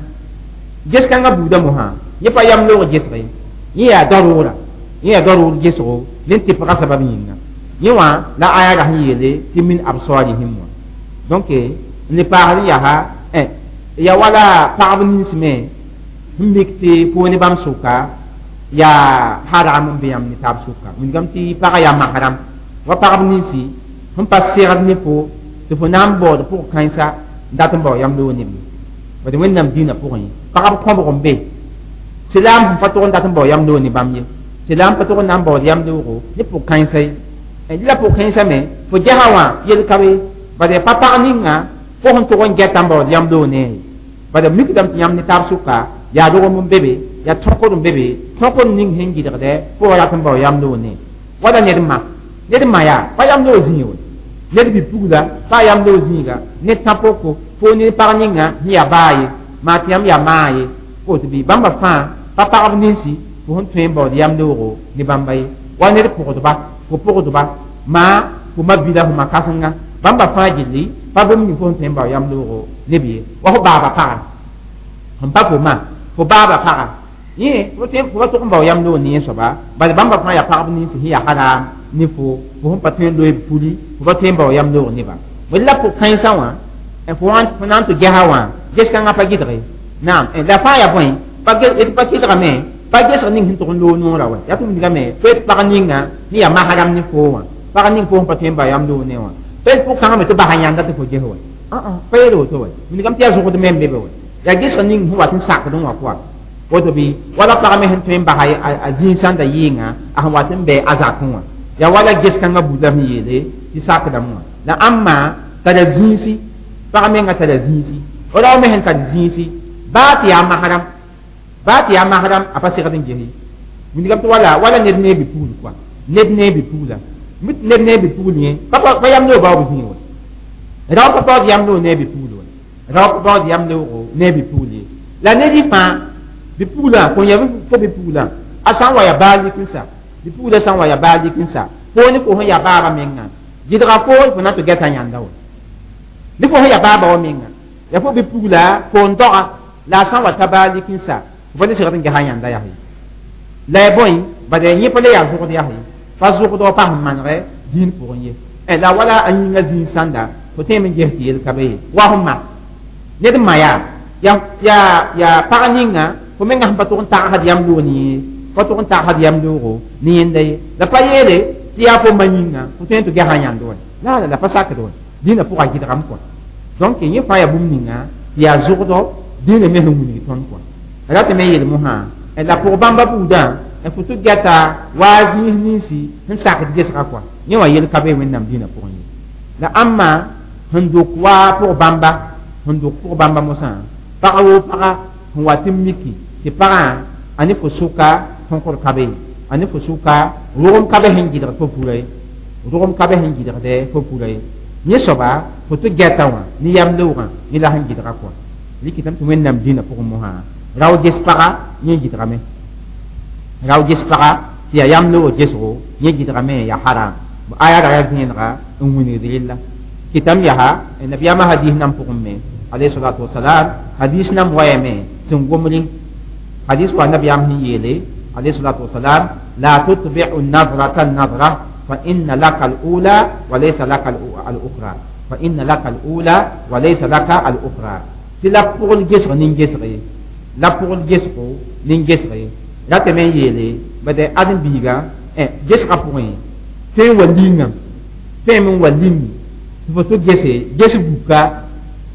ges-kãngã buudã mosã yẽ pa yam loog gesg ye yẽ yaa darʋʋra yẽ yaa darʋʋr gesgo ne tɩpgã sabab yĩnga yẽ wã la aya ra sẽn yeele tɩ min absarihim wã donc n le paasd n yaa ya wala pagb nins me sẽn mik tɩ fo ne bãmb sʋka yaa haram n be yãmb ne taab sʋka wilgame tɩ pagã yaa mahram wa pagb ninsi sẽn pa segd ne fo Tɩ fo na n baood pʋg kãensa n dat n bao yam loog neb ye bad wẽnnaam dĩinã pʋgẽ pagb kõbg n be silaam sẽn pa tʋg n dat n bao yam loog ne bãmb ye silaam pa tʋg n na n baood yam loogo ne pʋg kãensa ye la pʋg kãensã me fo gesa wã yel ka be bad yaa pa pag ninga fo sẽn tʋg n gɛta n baood yam loog ne ye bad mikdame tɩ yãmb ne taab sʋka yaa rogem n be be yaa tõkd n be be tõkd ning sẽn gɩdgdɛ fo wa rat n bao yam loog ne wala ned ma ned ma yaa pa yam loog zĩig we ned bi-pugla pa yam loog zĩiga ned tã-poko fo ne pag ninga sẽn yaa baa ye maa tɩ yãmb yaa maa ye woto bɩ bãmba fãa pa pagb ninsi fo sẽn tõe n baood yam loogo ne bãmba ye wa ned pʋgdba fo pʋgdba maa fo ma bila fo ma kãsenga bãmba fãa gilli pa bũmb ning fo sẽn tõe n bao yam loogo neb ye wa fo baaba paga sẽn pa fo ma fo baaba paga yẽ fo tõe fo pa tʋg n bao yam loog ne yẽ soaba bala bãmba fãa yaa pagb ninsi sẽn yaa haram ne fo fo sẽn pa tõe n loe puli fo pa tõe n bao yam loog neba la pʋg kãensã wã fo fo na n tɩ gesa wã ges kãngã pa gɩdge naam la fãa yaa bõe pa pa kɩdgame pa gesg ning sẽn tʋg n loog noorã wa yaa tɩ wilgame fo yet pag ninga ne yaa maharam ne foo wã pag ning fo sẽn pa tõe n bao yam loog ne wã pa yet pʋg kãngã me tɩ basa yãnda tɩ fo ges wa pa yeel woto wa wilgame tɩ yaa zʋgd me n be be wa yaa gesg ning sẽn wat n sakd n wã pʋga woto bɩ wala pag me sẽn tõe n basa a zĩig sãnda yɩɩngã a sẽn wat n bɩ a zakẽ wã yaa wala ges kãngã buda sẽn yeele tɩ sakdame wã la ãmba tara zĩisi pag menga tara zĩisi rao me sẽn tar zĩisi baa tɩ yaa mahram baa tɩ yaa mahram a pa segd n ges ye wilgame tɩ wala wala ned ne bi-pugl kɔa ned ne bi-pugla ned ne bi-pugl yẽ pa yam loog baoob zĩig wa rao pa paood yam loog ne bi-pugl wa rao pa paood yam loogo ne bi-pugl ye la ned y fãa bi-puglã kõn ya fo bi-puglã a sã n wa yaa baa lik n sa bi-puglã sã n wa yaa baa lik n sa fo ne fo sẽn yaa baabã menga gɩdga fo fo na tɩ gɛta yãnda wa ne fo sẽn yaa baabã wa menga yaa fo bi-pugla fo n doga la a sã n wa ta baa lik n sa fo pa ne segd n gesa yãnda yaa ye la ya bõe bad yẽ pa le yaa zʋgd yaa ye pa zʋgd wa pa sẽn manegɛ dĩin pʋgẽ ye la wala a yĩngã zĩig sãnda fo tõeme n ges tɩ yel ka be ye wa fo ma ned ma yaa yaa yaa pag ninga fo menga sẽn pa tʋg n tagsd yam loog ne yẽ pa tʋg n tagsd yam loogo ne yẽnda ye la pa yeele tɩ yaa fo ma yĩnga fo tõe n tɩ gesa yãnd wa la la la pa sakd wa dĩnã pʋga gɩdgame kɔa donc yẽ fãa yaa bũmb ninga tɩ yaa zʋgdɔ dĩnã me sẽn wilg tõnd kɔa ratame yeel mosã la pʋg bãmba buudã fo tɩ gɛta waa zĩis ninsi sẽn sakd gesga kɔa yẽ wã yel ka be wẽnnaam dĩnã pʋgẽ ye la ãmba sẽn dok waa pʋg bãmba sẽn dok pʋg bãmba mosã pag woo paga sẽn wa tɩ miki tɩ pagã a ne fo sʋka tõkd ka be a ne fo sʋka rogem ka be sẽn gɩdgd fo pura ye rogem ka be sẽn gɩdgdɛ fo pura ye yẽ soaba fo tɩ gɛta wã ne yam loogã yẽ la sẽn gɩdga kɔa rɩkɩtame tɩ wẽnnaam dĩnã pʋgẽ mosã rao ges paga yẽ gɩdgame rao ges paga tɩ yaa yam loog gesgo yẽ gɩdgame yaa haram aya ra yaa vẽenega n wilgd rella kɩtame yaa nabiyaamã hadis nan pʋgẽ me alayhi salatu wasalam hadis nam wayame sẽn gomre hadis wa nabiyaam sẽn yeele alayhi salatu wasalam la tutbi'u nadrata nadra fa inna laka al-ula wa laysa laka al-ukhra fa inna laka al-ula wa laysa laka al-ukhra tɩ la pʋgl gesg nin-gesg ye la pʋgl gesgo nin-gesg ye ratame n yeele bad ãdem-biiga gesgã pʋgẽ tõe n wa lingã tõeme n wa ling tɩ fo tɩ gese ges buka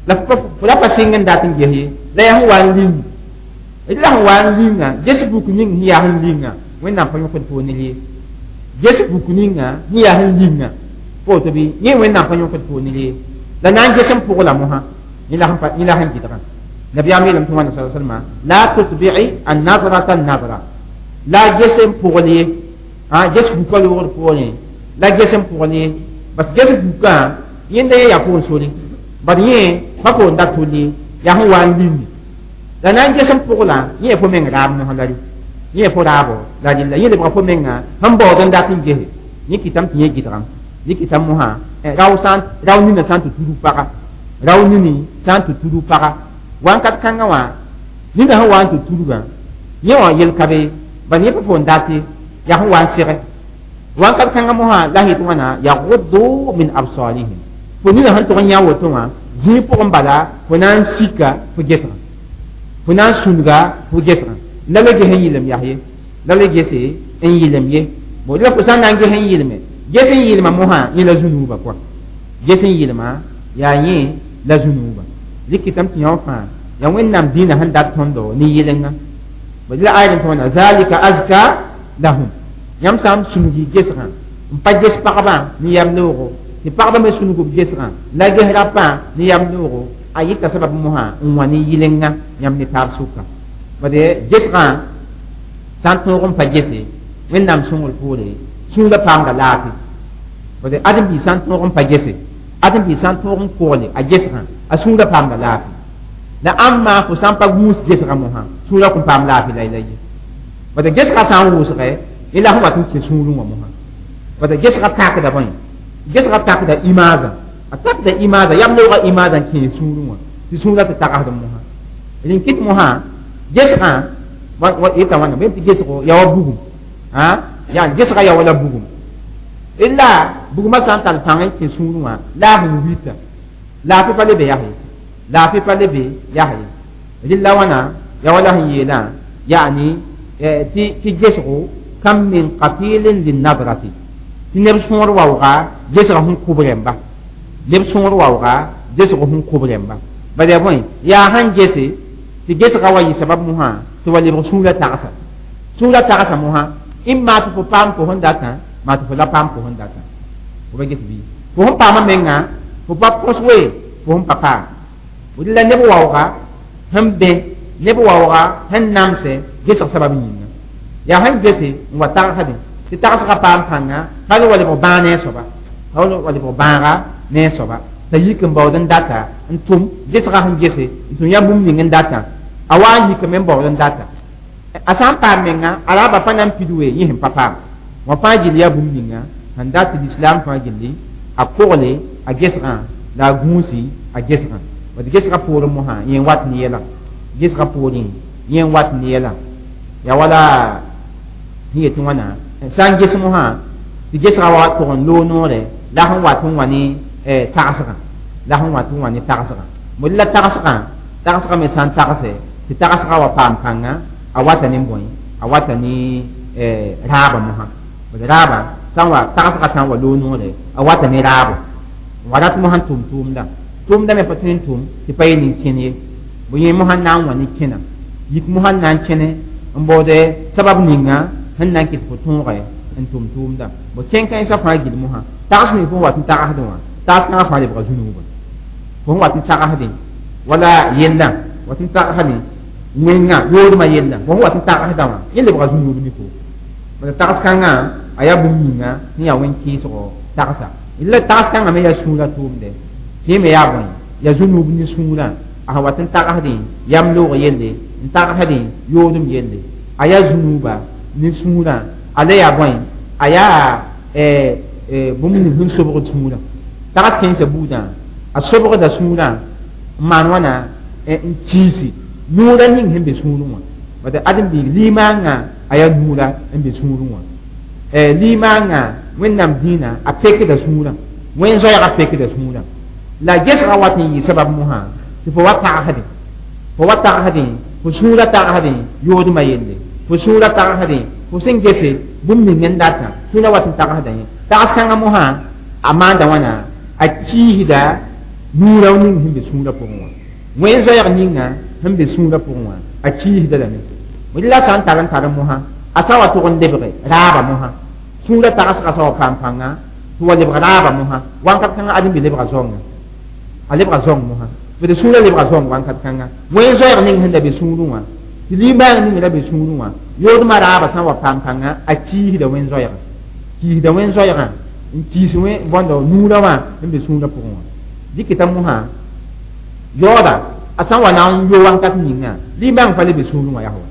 la fo la pa sɩng n dat n ges ye la yaa sẽn wa n ling d la sẽn wa n linga ges buk ning sẽn yaa sẽn linga wẽnnaam pa yõkd fo ne ye ges buk ninga sẽn yaa sẽn linga fo woto bɩ yẽ wẽnnaam pa yõkd fo ne ye la na n ges n pʋgla mosã yẽ la sẽn gɩdgã nabiyaam yeelame tɩ wãna sa salma la tutbi'i an-nadrata an-nadra la ges n pʋgl ye ges buka loogd poorẽ la ges n pʋgl ye parce ges bukã yẽnda yẽ yaa pʋgẽ sore bad yẽ pa foon dat tʋl ye yaa sẽn wa n ling la na n ges n pʋgla yẽ fo meng raab mosã la yẽ fo raabo la rɩlla yẽ lebga fo menga sẽn baood n dat n gese yẽ kɩtame tɩ yẽ gɩdgame yẽ kɩtame mosã rao sã rao nina sã n tɩ tudg paga rao nini sã n tɩ tudg paga wãnkat kãngã wã nina sẽn wa n tɩ tudgã yẽ wã yel ka be bad yẽ pa foon dat ye yaa sẽn wa n sege wãnkat kãngã mosã la yet wãna yaguddu min absarihim fo nina sẽn tʋg n yã woto wã zĩig pʋgẽ bala fo na n sika fo gesgã fo na n sũnga fo gesgã la le ges n yɩlem yaa ye la le gese n yɩlem ye bon la fo sã n na n ges n yɩlme ges n yɩlma mosã yẽ la zũnuuba kɔa ges n yɩlma Yaa yẽ la zũnuubã rɩkɩtame tɩ yõ fãa yaa wẽnnaam dĩinã sẽn dat tõndo ne yɩlenga la ayr n tõona zalika azka lahum yãmb sã n sũnug y gesgã n pa ges pagba ne yam loogo tɩ pagba me sũnug b gesgã la ges rapã ne yam loogo a yɩta sabab mosã n wã ne yɩlenga yãmb ne taab sʋka bade gesgã sã n tõog n pa gese wẽnnaam sõngr poore sũurã paamda laafɩ bade ãdem-biig sã n tõog n pa gese ãdem-biig sã n tõog n kogle a gesgã a sũurã paamda laafɩ la ãmba fo sã n pa gũus gesgã mosã sũurã kõn paam laafɩ la la ye bade gesgã sã n wʋsgɛ la sẽn wat n kẽ sũurẽ wã mosã bade gesgã takda bõe gesgã takda imaazã a takda imaazã yam loogã imaazã n kẽe sũurẽ wã tɩ sũurã tɩ tagsd mosã rẽn kɩt mosã gesgã yeta wãna bẽm tɩ gesgo ya wa bugum yaa gesgã ya wala bugum illa bugumã sã n tar pãng n kẽ sũurẽ wã la a sẽn wita laafɩ pa le be yaa ye laafɩ pa le be yaa ye rɩlla wãna ya wala sẽn yeelã yaani tɩ gesgo kam min qatilin linnadrati tɩ neb sõor waooga gesga sẽn kʋb rẽmba neb sõor waooga gesg sẽn kʋb rẽmba bala bõe yaa sãn gese tɩ gesga wa yɩ sabab mosã tɩ wa lebg sũurã tagsa sũurã tagsa mosã ĩmma tɩ fo paam fo sẽn datã maa tɩ fo la paam fo sẽn datã fo ba get bɩ fo sẽn paamã menga fo pa põs we fo sẽn pa paam la neb waooga sẽn bẽ neb waooga sẽn namsɛ gesg sabab yĩnga yaa sẽn gese n wa tagsdẽ tɩ tagsgã paam pãnga hal wa lebg bãag ne a soaba hal wa lebg bãaga ne a soaba t'a yik n baood n data n tʋm gesgã sẽn gese n tʋm yaa bũmb ning n data a wa n yikame n baood n data a sã n paam menga a raaba pa na n pid we yẽ sẽn pa paam wã fãa gill yaa bũmb ninga sẽn dat tɩ lislaam fãa gilli a kogle a gesgã la a gũusi a gesgã bad gesgã poorẽ mosã yẽ n wat ne yɛla gesgã poorẽ yẽ n wat ne yɛla yaa wala sẽn yetɩ wãna sã n ges mosã tɩ gesgã wa tʋg n loog noore la sẽn wat n wa ne tagsgã la sẽn wat n wa ne tagsgã mod la tagsgã tagsgã me sã n tagse tɩ tagsgã wa paam pãnga a wata ne bõe a wata ne raaba mosã bad raaba sã n wa tagsgã sã n wa loog noore a wata ne raabo n wa rat mosã n tʋm tʋʋmda tʋʋmda me pa tõe n tʋm tɩ pa ye nin-kẽn ye bõ yẽ mosã na n wa ne kẽna yik mosã n na n kẽne n baoode sabab ninga sẽn na n kɩt fo tõoge n tʋm tʋʋmda bõ kẽn-kãensã fãa gill mosã tags ning fo wat n tagsdẽ wã tags kãngã fãa lebga zũnuubã fo sẽn wat n tagsdẽ wala yellã wat n tagsdẽ wẽngã yoodmã yella fo sẽn wat n tagsdã wã yẽ lebga zũnuub ne fo bala tags kãngã a yaa bũmb ninga sẽn yaa wẽn-kɩɩsgo tagsa la tags kãngã me yaa sũurã tʋʋmdɛ tɩ me yaa bõe yaa zũnuub ne sũurã a sẽn wat n tagsdẽ yam loog yelle n tagsdẽ yoodem yelle a yaa zũnuuba ne sũurã a la yaa bõe a yaa bũmb ning sẽn sobgd sũurã tags kẽnsã buudã a sobgda sũurã n maan wãna n kiisi nuurã ning sẽn be sũurẽ wã bad ãdem-biig limaangã a yaa nuurã n be sũurẽ wã limaangã wẽnnaam dĩinã a pekda sũurã wẽn-zoɛɛgã pekda sũurã la gesgã wat n yɩ sabab mosã tɩ fo wa tagsdẽ fo wa tagsdẽ fo sũurã tagsdẽ yoodmã yelle fo sũurã tagsdẽ fo sẽn gese bũmb ning n datã sũurã wat n tagsda yẽ tags kãngã mosã a maanda wãna a kiisda nuurã ning sẽn be sũurã pʋgẽ wã wẽn-zoɛɛg ninga sẽn be sũurã pʋgẽ wã a kiisda lame la sã n tar n tar mosã a sã wa tʋg n lebge raaba mosã sũurã tagsgã sã wa paam pãnga tɩ wa lebg raaba mosã wãnkat kãngã ãdem-bi lebga zoangã a lebga zoang mosã bd sũurã lebga zoang wãnkat kãnga wẽn-zoɛɛg ning sẽn la be sũurẽ wã tɩ limaang ning ra be sũurẽ wã yoodmã raaba sã n wa paam pãnga a kiisda wẽn-zoɛɛgã kiisda wẽn-zoɛɛgã n kiis wẽ bõndo nuurã wã n be sũurã pʋgẽ wã dɩkɩta mosã yaooda a sã n wa na n yo wãnkat ninga limaang pa le be sũurẽ wã yaa wa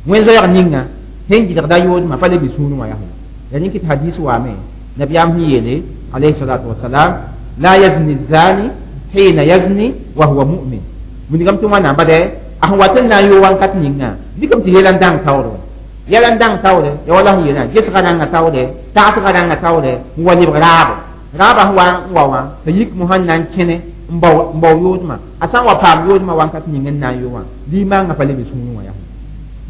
wẽn-zoɛɛg ninga sẽn gɩdgda yoodmã pa le be sũurẽ wã yaa wa ya rẽn kɩt hadis waame nabiyaam sẽn yeele alayhi salatu wasalam la yazni zani hina yazni wa huwa mu'min wilgame tɩ wãna bade a sẽn wat n na n yo wãnkat ninga dɩkame tɩ yɛla n dãng taoore wã yɛla n dãng taoore ya wala sẽn yeelã gesgã rãngã taoore tagsgã rãngã taoore n wa lebg raabo raabã sẽn wa n wa wã t'a yik mosã n na n kẽne n bao n bao yoodmã a sã n wa paam yoodmã wãnkat ning n na n yo wã limaangã pa le be sũurẽ wã yaa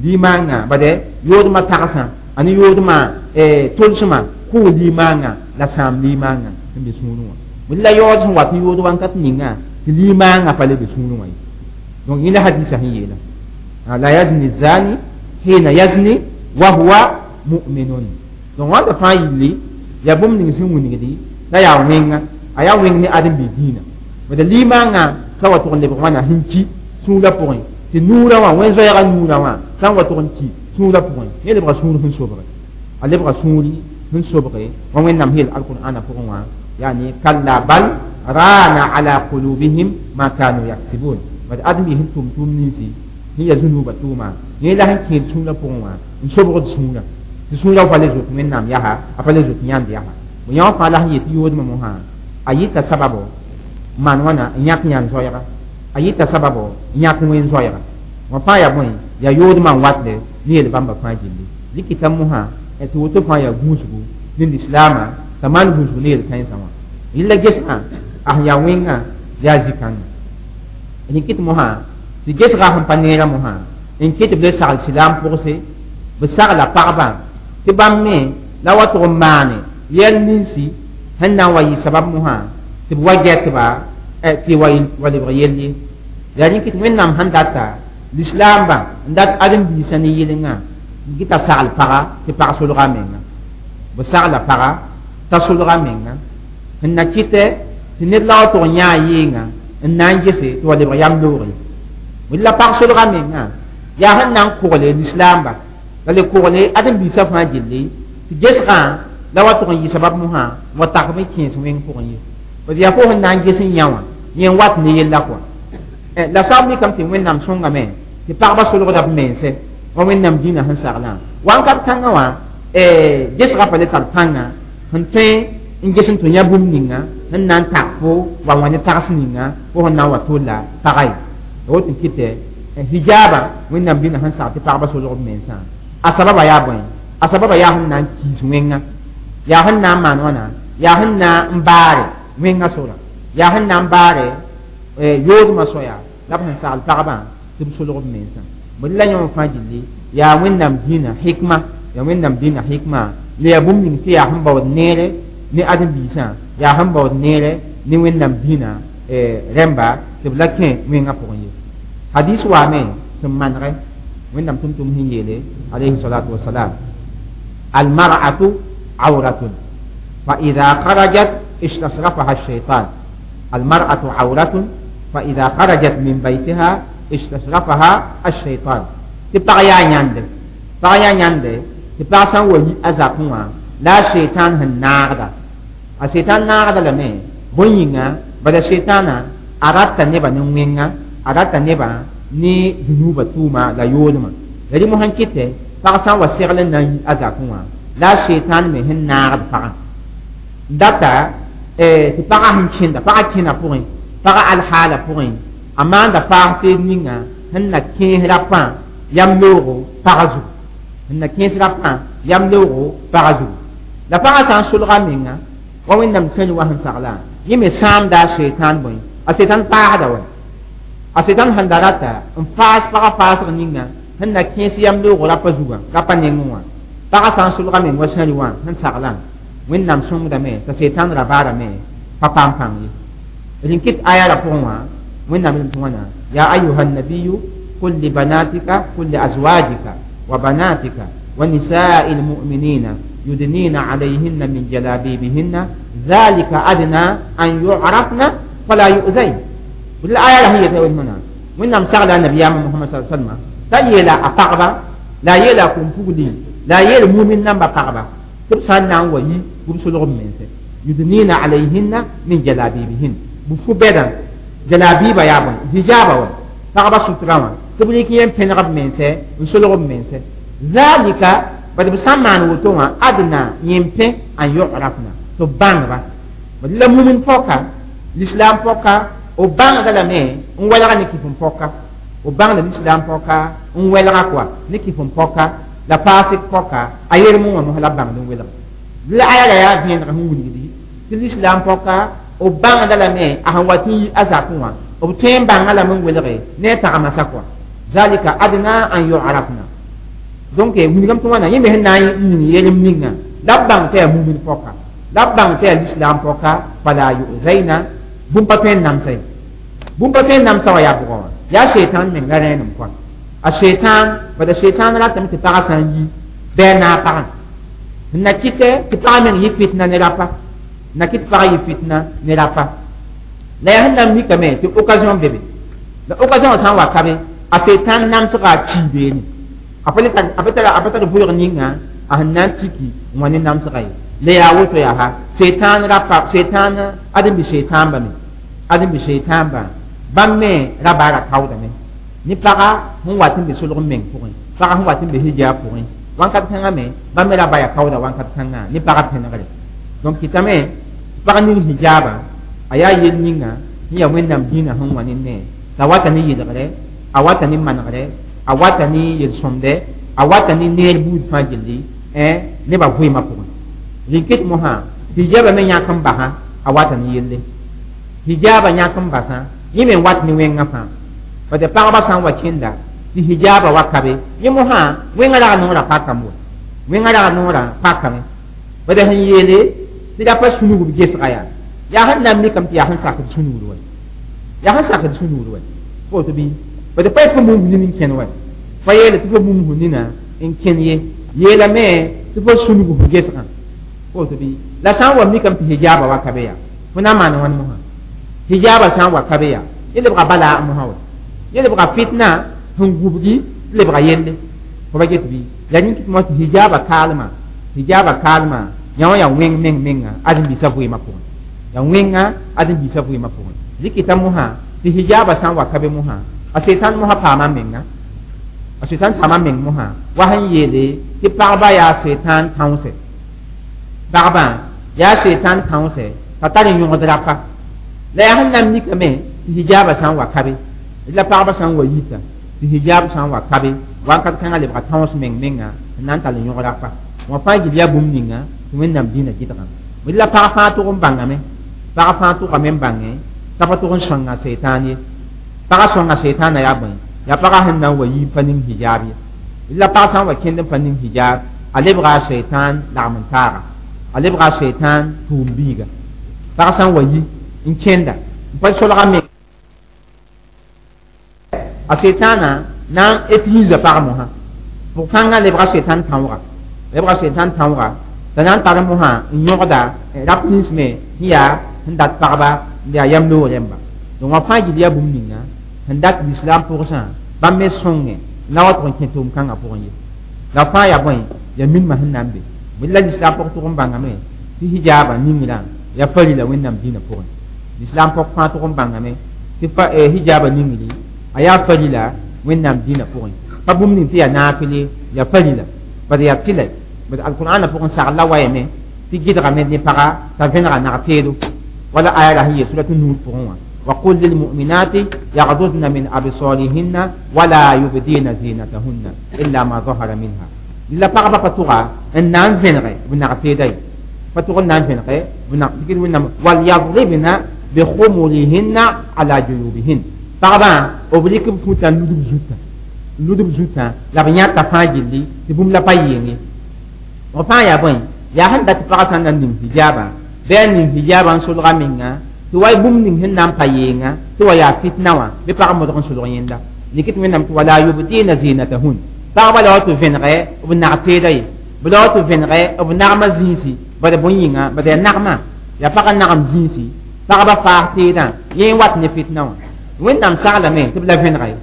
limaangã bade yoodmã tagsã a ne yoodmã tolsmã kʋʋ limaangã la sãam limaangã n be sũurẽ wã La yaood sẽn wat n yood wãnkat ninga tɩ limaangã pa le be sũurẽ wã ye. Donc yẽ la hadisa sẽn yeela la yazni zani hina yazni wa huwa mu'minun. Donc wãnda fãa yilli yaa bũmb ning sẽn wilgdi la yaa wẽnga, a yaa wẽng ne ãdem-biis dĩinã. Bad limaangã sã wa tʋg n lebg wãna sẽn ki sũurã pʋgẽ, tɩ nuurã wã wẽn-zoɛɛgã nuurã wã sã n wa tʋg n ki sũurã pʋgẽ, yẽ lebga sũur sẽn sobge, a lebga sũuri sẽn sobge wa Wẽnnaam yeel alqur'ana pʋgẽ wã, yani kalla bal rana ala qulubihim ma kanu yaksibun. Bad ãdem-biis sẽn tʋm tʋʋm ninsi sẽn ya zũnuubã tʋʋma, yẽ la sẽn kẽed sũurã pʋgẽ wã n sobgd sũurã, tɩ sũurã pa le zoet Wẽnnaam yaa, a pa le zoet yãnd yaa. Bõ yã wã fãa la sẽn yet tɩ yoodmã mosã a yɩta sababo maan wãna n yãk yãnd zoɛɛga, a yɩta sababo n yãk wẽn zoɛɛga wã fãa yaa bõe, yaa yoodmã n watle ne yel bãmba fãa gilli. Rɩkɩta mosã tɩ woto fãa yaa gũusgu ne lislaamã t'a maan gũusgu ne yel-kãensã wã. Yella gesgã a sẽn yaa wẽngã yaa zĩ-kãngã. Rɩkɩt mosã tɩ gesgã sẽn pa neerã mosã n kɩt b le sagl silaam pʋgse, b sagla pagbã tɩ bãmb me la wa tʋg n maane yɛl ninsi sẽn na n wa yɩ sabab mosã tɩ b wa gɛtba tɩ wa lebg yell ye. Yaa rẽ kɩt Wẽnnaam sẽn data lislaambã n dat ãdem-biisã ne yɩlengã n gɩta sagl paga tɩ pag solga a menga, b sagla paga t'a solga menga sẽn na kɩtɛ tɩ ned la wa tʋg n yãa yɩɩngã n na n gese tɩ wa lebg yam loog ye. La pag solga menga yaa sẽn na n kogle lislaamba la le kogle ãdem-biisã fãa gilli tɩ gesgã la wa tʋg n yɩ sabab mosã n wa tak b kẽes wẽng pʋgẽ ye. B yaa fo sẽn na n ges n yã wã yẽ n wat ne yella kɔa. La soab mikame tɩ Wẽnnaam sõngame tɩ pagba solgda b mense wa Wẽnnaam dĩnã sẽn saglã wãnkat kãngã wã gesgã pa le tar pãnga sẽn tõe n ges n tɩ yã bũmb ninga sẽn na n tak fo wa wã ne tags ninga fo sẽn na n wa tolla paga ye. Woto n kɩtɛ hijaaba Wẽnnaam dĩnã sẽn sag tɩ pagba solg b mensã a sababa yaa bõe, a sababa yaa sẽn na n kiis wẽnga, yaa sẽn na n maan wãna, yaa sẽn na n baare wẽnga sora, yaa sẽn na n baare yoodmã soya la b sẽn sagl pagbã tɩ b solg b mensã. Bõe la yõ fãa gilli yaa Wẽnnaam dĩnã hikma, yaa Wẽnnaam dĩnã hikma la yaa bũmb ning tɩ yaa sẽn baood neere ne ãdem-biisã, yaa sẽn baood neere ne Wẽnnaam dĩnã rẽmba tɩ b la kẽ wẽngã pʋgẽ ye. Hadis waame sẽn manegɛ Wẽnnaam tʋm-tʋm sẽn yeele alayhi salatu wasalam: almar'atu awratun fa ida kharajat istasrafaha الشيطان. المرأة عورة فإذا خرجت من بيتها istasrafaha الشيطان. Tɩ pag yaa yãnde, pag yaa yãnde tɩ pag sã n wa yi a zakẽ wã la a seitan sẽn naagda, a seitan naagda lame bõe yĩnga, bala seitãna a rata nebã ne wẽnga, a rata nebã ne zũnuubã tʋʋma la yoodmã. La rẽ mosã n kɩtɛ pag sã n wa segl n na n yi a zakẽ wã la a seitan me sẽn naagd pagã n data tɩ pagã sẽn kẽnda, pagã kẽna pʋgẽ, pagã alhaala pʋgẽ a maanda paas teed ninga sẽn na kẽes rapã yam loogo pagã zugu, sẽn na kẽes rapã yam loogo pagã zugu. La pagã sã n solga menga wa Wẽnnaam sẽn wa sẽn saglã yẽ me sãamda a seitan bõe, a seitan paasda wa a seitan sẽn da rata n faas pagã faasg ninga sẽn na kẽes yam loogo rapa zugã rapa nengẽ wã. Pagã sã n solga meng wa sẽri wã sẽn saglã Wẽnnaam sõngdame t'a seitan ra baarame pa paam pãng ye. Rẽn kɩt aya ra pʋgẽ wã Wẽnnaam yelem tɩ wãna: ya ayuha nabiyu qul li banatika qul li azwajika wa banatika wa nisai lmuminina yudnina alayhinna min jalabibihinna dhalika adna an yu'rafna fala yu'zain. La aya la sẽn yeta wẽna Wẽnnaam sagla nabiyaamã Mohamad sa salma t'a yeela a pagba la a yeela a kom-pugli la a yeel mumin namba pagba tɩ b sã n na n wa yi b solg b mense yudnina alayhinna min jalabibihin b fu bɛdã jalabiba yaa bõe, hijaaba wa pagba sutrã wã tɩ b rɩk yẽ n pẽneg b mense n solg b mense zalika bad b sã n maan woto wã adna yẽ n pẽ an yu'rafna tɩ b bãngba. Bad la mumin pɔka lislaam pɔka b bãngda lame n wɛlga ne kɩf n pɔka, b bãngda lislaam pɔka n wɛlga kɔa ne kɩf n pɔka la paasg pɔka a yerem wã mos la b bãngd n welg. La aya la yaa vẽeneg sẽn wilgdi tɩ lislaam pɔka b bãngda lame a sẽn wat n yi a zakẽ wã b tõe n bãnga lame n welge ne a tagemasa kɔa zalika adna an yu'rafna. Donc wilgame tɩ wãna yẽ me sẽn na n ning yelem ninga la b bãng tɩ yaa mumin pɔka. La b bãng tɩ yaa lislaam pɔka fala yuzaina bũmb pa tõe n namsa ye bũmb pa tõe n namsa wã yaa bʋgã wã yaa sheitan meng la rẽenem kɔa a sheitan bada sheitan ratame tɩ pagã sã n yi bɩ a naag pagã n na kɩtɛ tɩ pagã meng yɩ fitna ne rapa na kɩt pagã yɩ fitna ne rapa la yaa sẽn na n mikame tɩ occasion be be la occasion sã n wa ka be a sheitan namsga a kii beene a pa tar vʋʋg ninga a sẽn na n tiki n wa ne namsga ye la yaa woto yaa ha sheitan rapa sheitan ãdem-bi sheitan bame ãdem-bi sheitan bã bãmb me ra baara kaoodame ne paga sẽn wat n be solg n meng pʋgẽ paga sẽn wat n be hijab pʋgẽ wãnkat kãngã me bãmb me ra ba ya kaooda wãnkat kãngã ne paga pẽnegre donc kɩtame pag ning hijabã a yaa yel ninga sẽn yaa wẽnnaam dĩinã sẽn wa ne ne t'a wata ne yɩlgre a wata ne manegre a wata ne yel-sõmdɛ a wata ne neer buud fãa gilli nebã vɩɩmã pʋgẽ rɩ-ket mosã hijaba me yãk n basã a wata ne yelle hijaba yãk n basã yẽ me n wat ne wẽngã fãa bad pagba sã n wa kẽnda tɩ hijaba wa ka be yẽ mosã wẽngã rag noorã pakame wa wẽngã rag noorã pakame bad sẽn yeele tɩ ra pa sũnug b gesga yaa yaa sẽn na n mikame tɩ yaa sẽn sakd sũnugr wa yaa sẽn sakd sũnugr wa woto bɩ bad pa yet fo bũmb nin n kẽn wa pa yeele tɩ fo bũmb nina n kẽn ye yeelame tɩ fo sũnug f gesgã woto bɩ la sã n wa mikame tɩ hijaba wa ka be yaa fo na n maan wãn mosã hijaba sã n wa ka be yaa yẽ lebga bala mosã wa yẽ lebga fitna sẽn gubgi tɩ lebga yelle fo ba get bɩ la rĩng tɩ tɩ hijaba kaalmã hijaba kaalmã yã wã yaa wẽng meng menga ãdem-biisã vɩɩmã pʋgẽ yaa wẽnga ãdem-biisã vɩɩmã pʋgẽ rɩkɩta mosã tɩ hijaba sã n wa ka be mosã a setan mosã paama menga a setan paama meng mosã wa sẽn yeele tɩ pagba yaa setan tãoosɛ pagba yaa setan tãoosɛ t'a tar n yõgd rapa la yaa sẽn na n mikame tɩ hijaba sã n wa ka be la pagba sã n wa yita tɩ hijab sã n wa ka be wãnkat kãngã lebga tãoos meng menga n na n tall n yõg rapa wã fãa gil yaa bũmb ninga tɩ wẽnnaam dĩinã gɩdgã la pag fãa tʋg n bãngame pag fãa tʋgame n bãngẽ t'a pa tʋg n sõnga setan ye pagã sõnga seetãanã yaa bõe yaa pagã sẽn na n wa yi pa ning hijab ye la pag sã n wa kẽnd n pa ning hijab a lebga a setan lagm n taaga a lebga a setan tʋʋm biiga pag sã n wa yi n kẽnda n pa solga me a setãanã na n utilise pag mosã pʋg-kãngã lebga setan tãooga lebga setan tãooga t'a na n tar mosã n yõgda rap nins me sẽn yaa sẽn dat pagba n yaa yam loog rẽmba donc wã fãa gil yaa bũmb ninga sẽn dat lislaam pʋgsã bãmb me sõnge na wa tʋg n kẽ tʋʋm-kãngã pʋgẽ ye la fãa yaa bõe yaa minimã sẽn na n be bɩ la lislaam pʋg tʋg n bãngame tɩ hijaabã ningrã yaa farila wẽnnaam dĩinã pʋgẽ lislaam pʋg fãa tʋg n bãngame tɩ hijaabã ningri a yaa farila wẽnnaam dĩinã pʋgẽ pa bũmb ning tɩ yaa naafɩle yaa farila bad yaa tɩlɛ bad alqur'ana pʋgẽ sagl la wayame tɩ gɩdgame ne paga t'a vẽnega nag teedo wala aya ra sẽn yeel surat nur pʋgẽ wã وقل للمؤمنات يغضضن من أبصارهن ولا يبدين زينتهن إلا ما ظهر منها la pagba pa tʋga n na n vẽnege b nag teeda ye pa tʋg n na n vẽnege b nag tɩ wẽnnaam walyadribna bikhumurihinna ala juyubihin pagbã b rɩk b futã n ludb zutã ludb zutã la b yãta fãa gilli tɩ bũmb la pa yɩng b fãa yaa bõe yaa sẽn dat tɩ pagã sã n na n ning hijaabã bɩ a ning hijaabã n solga menga tɩ wa bũmb ning sẽn na n pa yeenga tɩ wa yaa fitna wã bɩ pag modg n solg yẽnda rɩk tɩ wẽnnaam tɩ wala yubdina zinatahun pagba la wa tɩ vẽnege b nag teeda ye b la wa tɩ vẽnege b nagmã zĩisi bad bõe yĩnga bad yaa nagmã yaa pagã nagem zĩisi pagba faas teedã yẽ n wat ne fitna wã wẽnnaam saglame tɩ b la vẽnega ye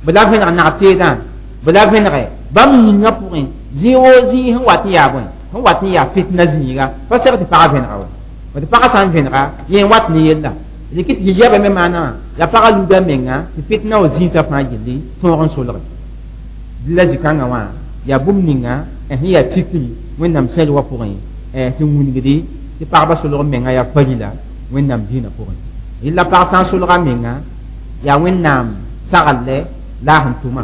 b la vẽneg nag teedã b la vẽnege bãmb yĩngã pʋgẽ zĩig woo zĩig sẽn wat n yaa bõe sẽn wat n yaa fitna zĩiga pa seg tɩ pagã vẽnega wa tɩ pagã sã n vẽnega yẽ n wat ne yella rɩk tɩ hijaba me maana wã yaa pagã luda menga tɩ fitna wa zĩisã fãa gilli tõog n solge la zĩ-kãngã wã yaa bũmb ninga sẽn yaa tikri wẽnnaam sɛl wã pʋgẽ sẽn wilgdi tɩ pagba solg menga yaa farila wẽnnaam dĩinã pʋgẽ rɩla pag sã n solga menga yaa wẽnnaam saglle la a sẽn tʋma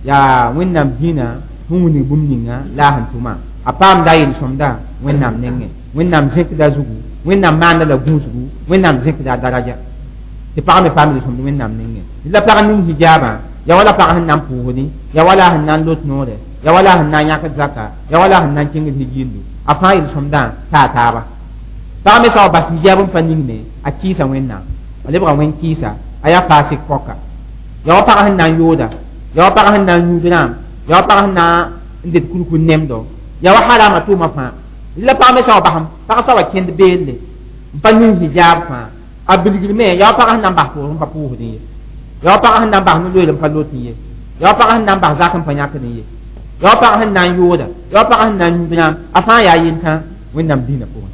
yaa wẽnnaam dĩinã sẽn wilg bũmb ninga la a sẽn tʋma a paamda a yel-sõmda wẽnnaam nengẽ wẽnnaam zẽkda zugu wẽnnaam maanda la gũusgu wẽnnaam zẽkda a daraja tɩ pag me paam yel-sõmd wẽnnaam nengẽ la pag ning hijaabã ya wala pag sẽn na n pʋʋsdi ya wala sẽn na n lot noore ya wala sẽn na n yãkd zaka ya wala sẽn na n kẽngd hijiindu a fãa yel-sõmdã taa taaba Pag me sã wa bas hijab n pa ningme a kɩɩsa Wẽnnaam, a lebga wẽn kɩɩsa, a yaa fasik pɔka. Ya wa pag sẽn na n yooda, ya wa pag sẽn na n yũud rãam, ya wa pag sẽn na n det kurkur nemdo, ya wa harama tʋʋmã fãa. La pag me sã wa basem, pag sã wa kẽnd beelle n pa ning hijab fãa, a bilgrime, ya wa pag sẽn na n bas pʋʋs n pa pʋʋsdẽ ye, ya wa pag sẽn na n bas no-loeel n pa lot ye, ya wa pag sẽn na n bas zak n pa yãkdẽ ye, ya wa pag sẽn na n yooda, ya wa pag sẽn na n yũud rãam, a fãa yaa yentã Wẽnnaam dĩinã pʋgẽ.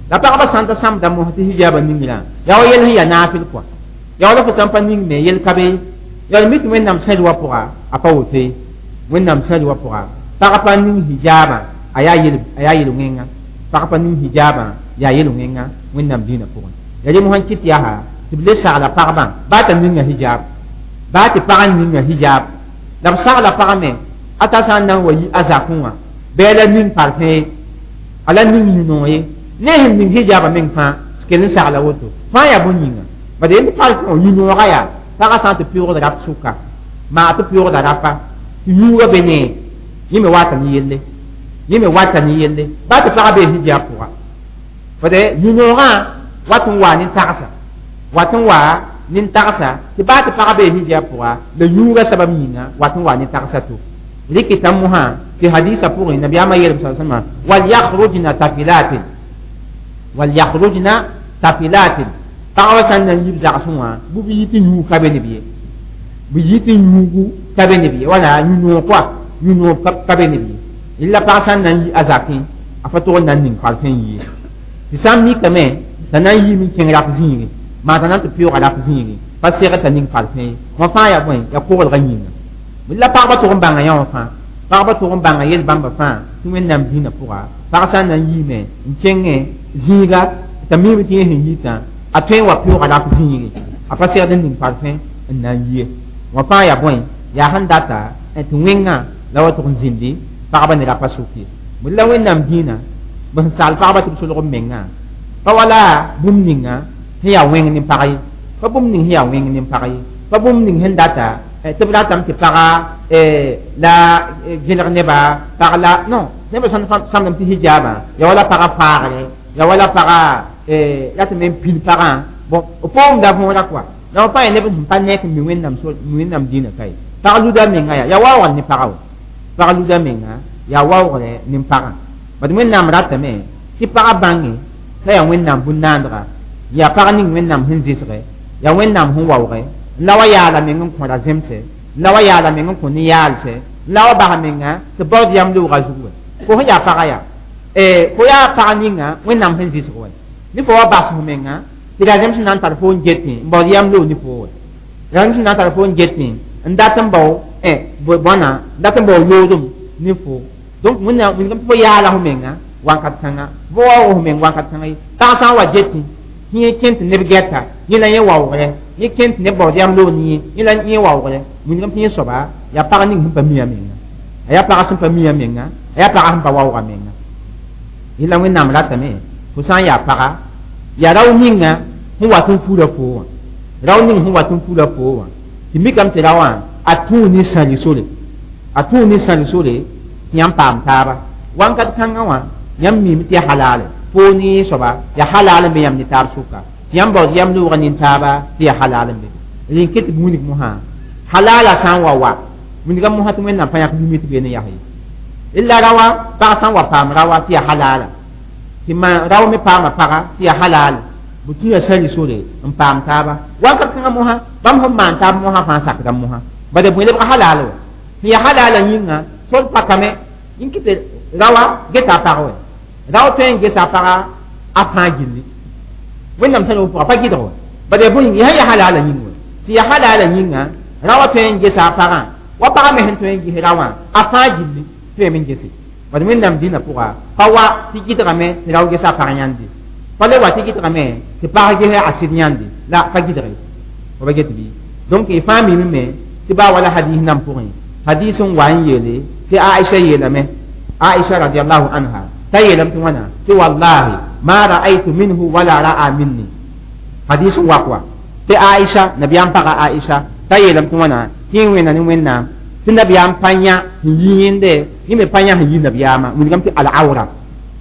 La pagba sãn ta sãmda mos tɩ hijabã ningrã, yaa wa yel sẽn yaa naafɩl kɔa, yaa wala fo sãn pa ning me yel ka be. Yaa mi tɩ Wẽnnaam sãd wa pʋga a pa woto ye. Wẽnnaam sãd wa pʋga pag pa ning hijabã a yaa yel a yaa yel-wẽnga, pag pa ning hijabã yaa yel-wẽnga Wẽnnaam dĩinã pʋgẽ. Ya rẽ mosã kɩt yaa tɩ b le sagla pagbã baa t'a ninga hijab, baa tɩ pag n ninga hijab, la b sagla pag me a ta sã n na n wa yi a zakẽ wã bɩ a la ning parfẽ ye, a la ning yũ-noog ye, ne sẽn ning hijabã meng fãa kell n sagla woto fãa yaa bõn-yĩnga. Bad yend parfẽ wã yũ-noogã yaa pagã sã n tɩ pɩʋʋgd rap sʋka, maa tɩ pɩʋʋgda rapa tɩ yũugã be ne yẽ me wata ne yelle, yẽ me wata ne yelle baa tɩ pagã bee hijab pʋga. Bad yũ-noogã wat n waa nin-tagsa, wat n waa nin-tagsa tɩ baa tɩ pagã bee hijab pʋga, la yũugã sabab yĩnga wat n waa nin-tagsa to rɩkɩta mosã tɩ hadisa pʋgẽ nabiyaamã yeelm sa salma wal yakhrujna tafilatin, wal yakhrujna tafilatin. Pagba sã n na n yib zagsẽ wã bɩ b yi tɩ yũug ka be neb ye, bɩ yi tɩ yũugu ka be neb ye, wala yũ-noog koa, yũ-noog ka be neb ye. Illa pag sã n na n yi a zakẽ a pa tog n na n ning parfẽ n yie, tɩ sã n mikame t'a na n yiime n kẽng rap zĩigẽ, maa t'a na n tɩ pɩʋʋga rap zĩigẽ pa segd t'a ning parfẽ ye, wã fãa yaa bõe yaa koglgã yĩnga. La pagba tʋg n bãnga yã wã fãa, pagba tʋg n bãnga yel bãmba fãa tɩ Wẽnnaam dĩinã pʋga pag sã n na n yiime n kẽngẽ zĩiga t'a miime tɩ yẽ sẽn yitã a tõe n wa pɩʋʋga rap zĩigẽ, a pa segd n ning parfẽ n na n yie, wã fãa yaa bõe yaa sẽn data tɩ wẽngã la wa tʋg n zĩndi pagba ne rapa sʋk ye. La Wẽnnaam dĩinã b sẽn sagl pagba tɩ b solg b mengã pa wala bũmb ninga sẽn yaa wẽng ne pag ye, pa bũmb ning sẽn yaa wẽng ne pag ye, pa bũmb ning sẽn data tɩ b ratame tɩ paga la gẽlg neba pag la non neba sãn sãmdame tɩ hijabã ya wala paga faagre, ya wala paga la tɩ me n pil pagã bon b poomda võora koa la pa yaa neb sẽn pa nek n mi Wẽnnaam Wẽnnaam dĩinã ka ye. Pag luda menga yaa yaa waoogr ne paga wa, pag luda menga yaa waoogre ne pagã. Bad Wẽnnaam ratame tɩ pagã bãnge t'a yaa Wẽnnaam bũn-naandga, yaa pag ning Wẽnnaam sẽn zɩsge, yaa Wẽnnaam sẽn waooge, la wa yaala meng n kõ ra zemse, la wa yaala meng n kõ ne-yaalse, la wa bas menga tɩ baood yam loogã zug wɛ fo sẽn yaa pagã yaa fo yaa pag ninga Wẽnnaam sẽn zɩsg wɛ ne fo wa bas fo menga tɩ ra zems na n tar fo n getẽ n baood yam loog ne fo wɛ, ra zems na n tar fo n getẽ n dat n bao bõna n dat n bao loodem ne fo. Donc Wẽnnaam wilgame tɩ fo yaala fo menga wakat kãnga, fo waoog fo meng wakat kãnga ye. Pag sã n wa getẽ tɩ yẽ kẽn tɩ neb gɛta yẽ la yẽ waoogre, yẽ kẽn tɩ neb baood yam loog ne yẽ, yẽ la yẽ waoogre, wilgame tɩ yẽ soaba yaa pag ning sẽn pa mi a menga, a yaa pag sẽn pa mi a menga, a yaa pag sẽn pa waooga menga. Yẽla Wẽnnaam ratame fo sã n yaa paga yaa rao ninga sẽn wat n fura fo wã, rao ning sẽn wat n fura fo wã tɩ mikame tɩ raowã a tũu ne sãli sore, a tũu ne sãli sore tɩ yãmb paam taaba wãnkat kãngã wã yãmb miime tɩ ya halale fo ne soaba ya halal n be yãmb ne taab sʋka, tɩ yãmb baood yam loogã nin-taaba tɩ ya halal n be. Rẽn ket tɩ b wilg mosã halala sã n wa wa wilga mosã tɩ Wẽnnaam pa yãk yũme tɩ beene yas ye. La rawa pag sã n wa paam rawa tɩ ya halala, tɩ ma rao me paama paga tɩ ya halal, b tũ ya sãli sore n paam taaba wakat kãngã mosã bãmb sẽn maan taab mosã fãa sakda mosã bad b bõe lebga halal wa sẽn ya halala yĩnga sol pakame n kɩ tɩ rawa geta a pag wɛ, rao tõe n gesa a paga a fãa gilli Wẽnnaam sã pʋga pa gɩdg wa bad ya bõe sẽn ya halala yĩng wa tɩ ya halala yĩnga rawa tõe n gesa a pagã wa pagã me sẽn tõe n ges rawã a fãa gilli tõeme n gese. Bad Wẽnnaam dĩnã pʋga pa wa tɩ gɩdgame tɩ rao gesa a pag yãnde, pa le wa tɩ gɩdgame tɩ pag ges a sɩd yãnde, la pa gɩdge fo ba get bɩ. Donc y fãa mime me tɩ baa wala hadis nan pʋgẽ, hadis n wa n yeele tɩ Aisha yeelame, Aisha radiallahu anha t'a yeelame tɩ wãna tɩ wallahi ma ra'aytu minhu wala ra'a minni. Hadis n wak wa tɩ Aisha nabiyaam paga Aisha t'a yeelame tɩ wãna tɩ yẽ wẽnna ne Wẽnnaam tɩ nabiyaam pa yã sẽn yi yẽnde, yẽ me pa yã sẽn yi nabiyaamã wilgame tɩ al-awra.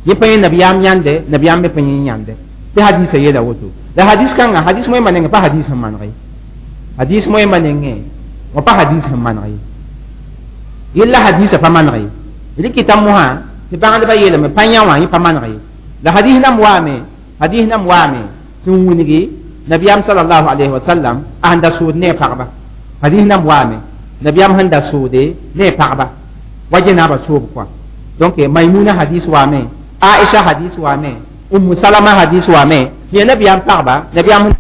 Yẽ pa yẽ nabiyaam yãnde, nabiyaam me pa yẽ yãnde. Tɩ hadisa yeela woto. La hadis kãnga, hadis moẽmba nengẽ pa hadis sẽn maneg ye. Hadis moẽmba nengẽ wã pa hadis sẽn maneg ye. Yella hadisa pa maneg ye. Rɩkɩta mosã tɩ bãgdbã yeelame pa yã wã yẽ pa maneg ye. La hadis nam waame, hadis nam waame sẽn wilgi nabiyaam sallallahu alayhi wa sallam a sẽn da sood ne a pagba. Hadis nam waame nabiyaam sẽn da soode ne a pagba wa jenaaba soob kɔa. Donc Maimuna hadis waame, Aisha hadis waame, Ummu Salama hadis waame, tɩ ya nabiyaam pagba, nabiyaam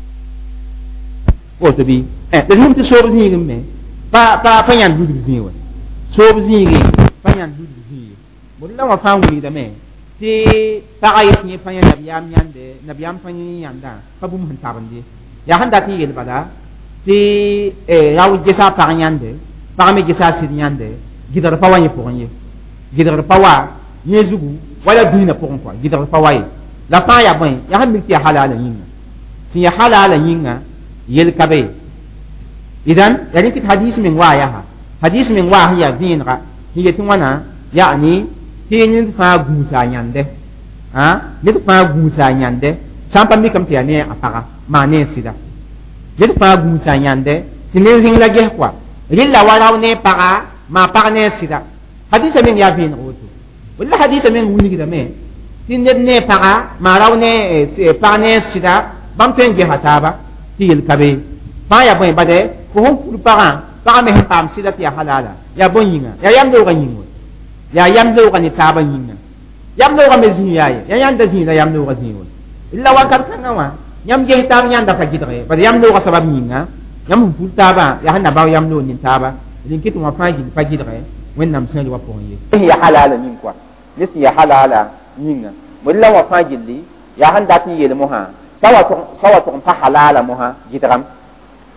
woto bɩ la zĩm tɩ soob zĩigẽ me pa pa pa yãnd ludg zĩig wa. Soob zĩigẽ pa yãnd ludg zĩig ye. La wã fãa wilgdame tɩ pagã yet yẽ pa yã nabiyaam yãnde, nabiyaam pa yẽ yãndã pa bũmb sẽn tabend ye. Yaa sẽn dat n yeel bala tɩ rao gesa a pag yãnde, pag me gesa a sɩd yãnde, gɩdgr pa wa yẽ pʋgẽ ye. Gɩdgr pa wa yẽ zugu wala dĩinã pʋgẽ kɔa, gɩdgr pa wa ye. La fãa yaa bõe, yaa sẽn mik tɩ yaa halaala yĩnga. Sẽn yaa halaala yĩnga yel ka be ye. Idan yaa rẽ tɩ hadis meng waa yaa hadis meng waa sẽn yaa vẽenega sẽn yet wãna yaani tɩ ned fãa gũusa a yãnde, ned fãa gũusa a yãnde sã n pa mikame tɩ yaa ne a paga maa ne a sɩda. Ned fãa gũusa a yãnde tɩ ned zĩng la ges kɔa rɩlla wa rao ne paga maa pag ne a sɩda. Hadisa meng yaa vẽeneg woto. Walla hadisa meng wilgdame tɩ ned ne paga maa rao ne pag ne a sɩda bãmb tõe n gesa taaba tɩ yel ka be. Fãa yaa bõe bade fo sẽn fur pagã, pagã me sẽn paam sɩda tɩ yaa halaala, yaa bõe yĩnga, yaa yam loogã yĩng wa. Yaa yam loogã ne taabã yĩnga. Yam loogã me zĩig yaa ye, yaa yãnda zĩig la yam loogã zĩig wa. La wakat kãngã wã yãmb ges taab yãnda pa gɩdge, bad yam loogã sabab yĩnga yãmb sẽn fur taabã yaa sẽn na bao yam loog nin-taaba. D kɩt wã fãa gill pa gɩdge Wẽnnaam sẽn wa pʋgẽ ye. Sẽn yaa halaala yĩng kɔa, ne sẽn yaa halaala yĩnga. La wã fãa gilli yaa sẽn dat n yeel mosã sa wa tʋg n pa halaala mosã gɩdgame.